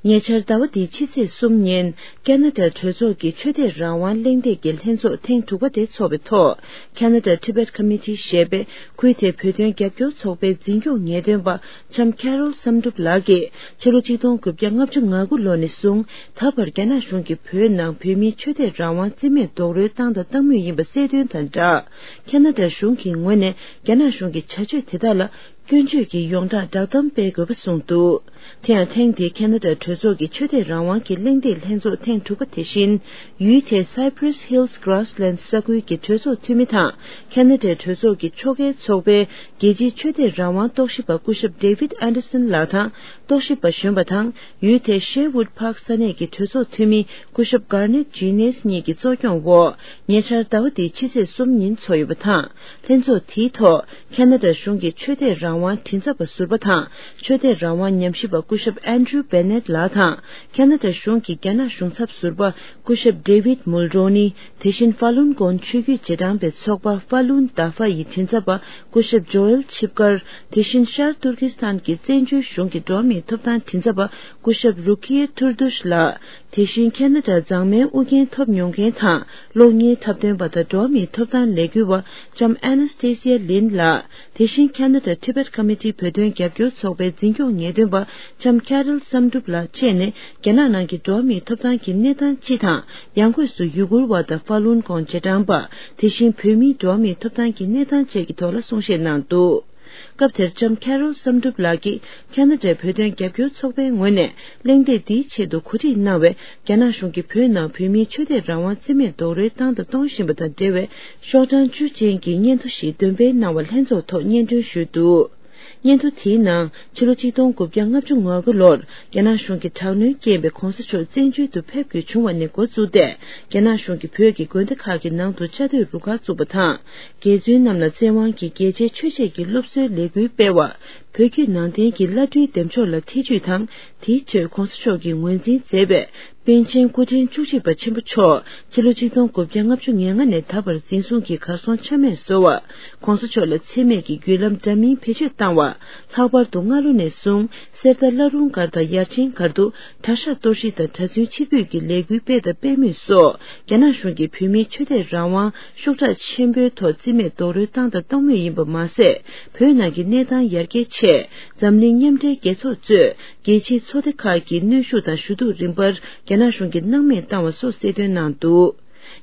ཉེ་ཆར་ཟླ་བ་འདིའི་ཕྱི་ཚེས་གསུམ་ཉིན། ཁ་ན་ཌ་གྲོས་ཚོགས་ཀྱི་ཆོས་དད་རང་དབང་གླེང་སྟེགས་ཀྱི་ལྷན་ཚོགས་ཐེངས་དྲུག་པ་དེ་འཚོགས་པའི་ཐོག Canada Tibet Committee ཞེས་པའི་ཁུལ་དེའི་བོད་དོན་རྒྱབ་སྐྱོར་ཚོགས་པའི་འཛིན་སྐྱོང་ངེས་སྟོན་པ་ལྕམ་Carol བསམ་གྲུབ་ལགས་ཀྱིས། ཕྱི་ལོ་ཆིག་སྟོང་དགུ་བརྒྱ་ལྔ་བཅུ་ང་དགུ་ལོ་ནས་བཟུང་ད་བར་རྒྱ་ནག་གཞུང་གིས་བོད་ནང་བོད་མིའི་ཆོས་དད་རང་དབང་རྩིས་མེད་རྡོག་རོལ་བཏང་དང་བཏང་མུས་ཡིན་པ་གསལ་སྟོན་དང་སྦྲགས། ཁ་ན་ཌ་གཞུང་གི་ངོས་ནས་རྒྱ་ནག་གཞུང་གི་བྱ་སྤྱོད་དེ་དག་ལ་སྐྱོན་བརྗོད་ཀྱི་ཡོངས་གྲགས་བསྒྲགས་གཏམ་སྤེལ་དགོས་པ་གསུངས་འདུག་དེ་ཡང་ཐེངས་འདིའི་ཁ་ན་ཌ་གྲོས་ཚོགས་ཀྱི་ཆོས་དད་རང་དབང་གི་གླེང་སྟེགས་ལྷན་ཚོགས་ཐེངས་དྲུག་པ་དེ་བཞིན། ཡུལ་དེའི་Cypress Hills Grasslands ས་ཁུལ་གྱི་གྲོས་ཚོགས་འཐུས་མི་དང་། ཁ་ན་ཌའི་གྲོས་ཚོགས་ཀྱི་ཕྱོགས་འགལ་ཚོགས་པའི་རྒྱལ་སྤྱིའི་ཆོས་དད་རང་དབང་རྟོག་ཞིབ་པ་སྐུ་ཞབས་David Anderson ལགས་དང་། རྟོག་ཞིབ་པ་གཞོན་པ་དང་། ཡུལ་དེའི་Sherwood Park ས་གནས་ཀྱི་གྲོས་ཚོགས་འཐུས་མི་སྐུ་ཞབས་Garnet Genius གཉིས་ཀྱི་གཙོ་སྐྱོང་འོག་ཉེ་ཆར་ཟླ་བ་འདིའི་ཕྱི་ཚེས་གསུམ་ཉིན་འཚོགས་ཡོད་པ་དང་། ལྷན་ཚོགས་དེའི་ཐོག་ཁ་ན་ཌ་གཞུང་གི་ཆོས་དད་རང་དབང་མགྲིན་ཚབ་པ་ཟུར་པ་དང་། ཆོས་དད་རང་དབང་ཉམས་ཞིབ་པ་སྐུ་ཞབས་Andrew Bennett ལགས་དང་། ཁ་ན་ཌ་གཞུང་གི་རྒྱ་ནག་གཞུང་ཚབ་ཟུར་པ་སྐུ་ཞབས་David Mulroney། དེ་བཞིན་ཧྥ་ལུན་གོང་ཆོས་བརྒྱུད་རྗེས་འབྲང་པའི་ཚོགས་པ་Falun Dafa ཡི་མགྲིན་ཚབ་པ་སྐུ་ཞབས་Joel Chipkar། དེ་བཞིན་ཤར་ཏུར་ཀི་སི་ཐན་གྱི་བཙན་བྱོལ་གཞུང་གི་འགྲོ་བ་མིའི་ཐོབ་ཐང་མགྲིན་ཚབ་པ་སྐུ་ཞབས་Rukia Turdush ལགས། དེ་བཞིན་ཁ་ན་ཌ་མཛངས་མའི་ཨུ་རྒྱན་ཐོབ་མྱོང་མཁན་དང་གློག་བརྙན་འཁྲབ་སྟོན་པ་དང་འགྲོ་བ་མིའི་ཐོབ་ཐང་ལས་འགུལ་བ་ལྕམ་Anastasia Lin ལགས། དེ་བཞིན་ཁ་ན་ཌ་Tibet Committee བོད་དོན་རྒྱབ་སྐྱོར་ཚོགས་པའི་འཛིན་སྐྱོང་ངེས་སྟོན་པ་ལྕམ་Carol བསམ་གྲུབ་ལགས་བཅས་ནས་རྒྱ་ནག་ནང་གི་འགྲོ་བ་མིའི་ཐོབ་ཐང་གི་གནས་སྟངས་སྤྱི་དང་། ཡང་སྒོས་སུ་ཡུ་གུར་བ་དང་ཧྥ་ལུན་གོང་རྗེས་འབྲང་པ། དེ་བཞིན་བོད་མིའི་འགྲོ་བ་མིའི་ཐོབ་ཐང་གི་གནས་སྟངས་བཅས་ཀྱི་ཐོག་ལ་གསུང་བཤད་གནང་འདུག་སྐབས་དེར་ལྕམ་Carol བསམ་གྲུབ་ལགས་ཀྱིས་ཁ་ན་ཌའི་བོད་དོན་རྒྱབ་སྐྱོར་ཚོགས་པའི་ངོས་ནས་གླེང་སྟེགས་འདིའི་ཆེད་དུ་གོ་སྒྲིག་གནང་བའི་རྒྱ་ནག་གཞུང་གིས་བོད་ནང་བོད་མིའི་ཆོས་དད་རང་དབང་རྩིས་མེད་རྡོག་རོལ་བཏང་དང་གཏོང་བཞིན་པ་དང་འབྲེལ་བའི་ཤོག་གྲངས་བཅུ་ཅན་གྱི་སྙན་ཐོ་ཞིག་འདོན་སྤེལ་གནང་བ་ལྷན་ཚོགས་ཐོག་སྙན་སྒྲོན་ཞུས་འདུག་སྙན་ཐོ་དེའི་ནང་ཕྱི་ལོ་ཆིག་སྟོང་དགུ་བརྒྱ་ལྔ་བཅུ་ང་དགུ་ལོར་རྒྱ་ནག་གཞུང་གིས་དྲག་གནོན་བསྐྱལ་བའི་གོང་ས་མཆོག་བཙན་བྱོལ་དུ་ཕེབས་དགོས་བྱུང་བ་ནས་འགོ་བཙུགས་ཏེ། རྒྱ་ནག་གཞུང་གིས་བོད་ཀྱི་དགོན་སྡེ་ཁག་གི་ནང་དུ་བཅའ་སྡོད་རུ་ཁག་བཙུགས་པ་དང་། རྒྱལ་བཙུན་རྣམས་ལ་བཙན་དབང་གིས་རྒྱལ་ཆེན་ཆོས་འཆད་ཀྱི་སློབ་གསོའི་ལས་འགུལ་སྤེལ་བ། བོད་བརྒྱུད་ནང་བསྟན་གྱི་བླ་སྤྲུལ་འདེམས་ཕྱོགས་ལ་ཐེ་ཇུས་དང་། དེའི་ཁྲོད་གོང་ས་མཆོག་གིས་ངོས་འཛིན་མཛད་པའི་པཎ་ཆེན་སྐུ་ཕྲེང་བཅུ་གཅིག་པ་ཆེན་པོ་མཆོག་ཕྱི་ལོ་ཆིག་སྟོང་དགུ་བརྒྱ་ལྔ་བཅུ་ང་ལྔ་ནས་ད་བར་འཛིན་བཟུང་གིས་གར་སོང་ཆ་མེད་བཟོ་བ། གོང་ས་མཆོག་ལ་འཚེ་མེད་ཀྱི་བརྒྱུད་ལམ་འདྲ་མིན་བེད་སྤྱོད་བཏང་བ། ལྷག་པར་དུ་སྔ་ལོ་ནས་བཟུང་གསེར་རྟ་བླ་རུང་སྒར་དང་ཡར་ཆེན་སྒར་དུ་གྲྭ་ཤག་གཏོར་བཤིག་དང་གྲྭ་བཙུན་ཕྱིར་འབུད་ཀྱི་ལས་འགུལ་སྤེལ་དང་སྤེལ་མུས་སོགས། རྒྱ་ནག་གཞུང་གིས་བོད་མིའི་ཆོས་དད་རང་དབང་ཤུགས་དྲག་ཆེན་པོའི་ཐོག་རྩིས་མེད་རྡོག་རོལ་བཏང་དང་གཏོང་མུས་ཡིན་པ་མ་ཟད། བོད་ནང་གི་གནས་སྟངས་ཡར་རྒྱས་ཆེད། འཛམ་གླིང་མཉམ་འབྲེལ་རྒྱལ་ཚོགས་གཙོས་རྒྱལ་སྤྱིའི་ཚོགས་སྡེ་ཁག་གིས་གནོན་ཤུགས་དང་ཞུ་གཏུག་རིམ་པར་རྒྱ་ནག་གཞུང་གིས་སྣང་མེད་བཏང་བ་སོགས་གསལ་སྟོན་གནང་འདུག་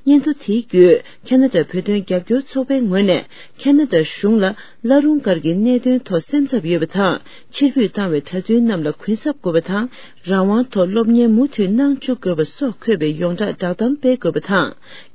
སྙན་ཐོ་དེའི་བརྒྱུད། ཁ་ན་ཌ་བོད་དོན་རྒྱབ་སྐྱོར་ཚོགས་པའི་ངོས་ནས། ཁ་ན་ཌ་གཞུང་ལ་བླ་རུང་སྒར་གྱི་གནད་དོན་ཐོག་སེམས་འཚབ་ཡོད་པ་དང་། ཕྱིར་འབུད་བཏང་བའི་གྲྭ་བཙུན་རྣམས་ལ་གུན་གསབ་དགོས་པ་དང་། རང་དབང་ཐོག་སློབ་གཉེར་མུ་མཐུད་གནང་བཅུག་དགོས་པ་སོགས་འཁོད་པའི་ཡོངས་གྲགས་བསྒྲགས་གཏམ་སྤེལ་དགོས་པ་དང་།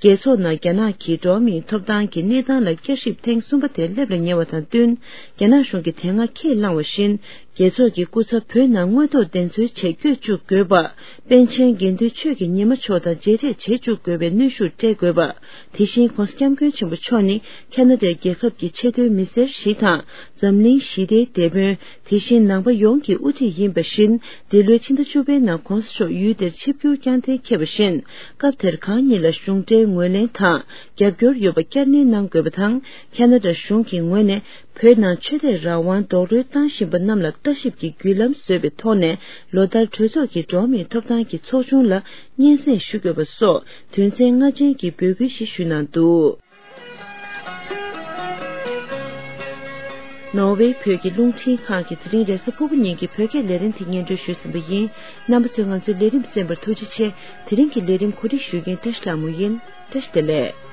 རྒྱལ་ཚོགས་ནང་རྒྱ་ནག་གིས་འགྲོ་བ་མིའི་ཐོབ་ཐང་གི་གནས་སྟངས་ལ་བསྐྱར་ཞིབ་ཐེངས་གསུམ་པ་དེ་སླེབས་ལ་ཉེ་བ་དང་བསྟུན། རྒྱ་ནག་གཞུང་གིས་དེ་སྔ་ཁས་བླངས་བ་བཞིན། རྒྱལ་ཚོགས་ཀྱི་སྐུ་ཚབ་བོད་ནང་དངོས་ཐོག་བདེན་འཚོལ་ཆེད་བསྐྱོད་བཅུག་དགོས་པ། པཎ་ཆེན་དགེ་འདུན་ཆོས་ཀྱི་ཉི་མ་མཆོག་དང་མཇལ་འཕྲད་བྱེད་བཅུག་དགོས་པའི་གནོན་ཤུགས་སྤྲད་དགོས་པ། དེ་བཞིན་༸གོང་ས་༸སྐྱབས་མགོན་ཆེན་པོ་མཆོག་ནི་ཁ་ན་ཌའི་རྒྱལ་ཁབ་ཀྱི་ཆེས་མཐོའི་མི་སེར་ཞིག་དང་། འཛམ་གླིང་ཞི་བདེའི་དེད་དཔོན། དེ་བཞིན་ནང་པ་ཡོངས་ཀྱི་དབུ་ཁྲིད་ཡིན་པ་བཞིན། འདི་ལོའི་ཕྱི་ཟླ་བཅུ་པའི་ནང་༸གོང་ས་མཆོག་ཡུལ་དེར་ཆིབས་བསྒྱུར་བསྐྱངས་གཏན་འཁེལ་བ་བཞིན། སྐབས་དེར་གང་ཉིད་ལ་གཞུང་འབྲེལ་ངོས་ལེན་དང་རྒྱབ་སྐྱོར་ཡོད་པ་བསྐྱར་ནན་གནང་དགོས་པ་དང་། ཁ་ན་ཌ་གཞུང་གི་ངོས་ནས། བོད་ནང་ཆོས་དད་རང་དབང་རྡོག་རོལ་བཏང་བཞིན་པ་རྣམས་ལ་ལྟ་ཞིབ་ཀྱི་བརྒྱུད་ལམ་བཟོས་པའི་ཐོག་ནས། ལོ་ལྟར་གྲོས་ཚོགས་ཀྱི་འགྲོ་བ་མིའི་ཐོབ་ཐང་གི་ཚོགས་ཆུང་ལ་སྙན་སེང་ཞུ་དགོས་པ་སོགས་དོན་ཚན་ལྔ་ཅན་གྱི་འབོད་སྐུལ་ཞིག་ཞུས་གནང་འདུག་ནོར་ཝེ་བོད་ཀྱི་རླུང་འཕྲིན་ཁང་གིས་དེ་རིང་རེས་གཟའ་ཕུར་བུ་ཉིན་གྱི་བོད་སྐད་ལས་རིམ་དེ་སྙན་སྒྲོན་ཞུས་ཟིན་པ་ཡིན། རྣམ་པ་ཚོས་ང་ཚོའི་ལས་རིམ་གསན་པར་ཐུགས་རྗེ་ཆེ། དེ་རིང་གི་ལས་རིམ་གོ་སྒྲིག་ཞུ་མཁན་བཀྲ་ཤིས་ལྷ་མོ་ཡིན། བཀྲ་ཤིས་བདེ་ལེགས།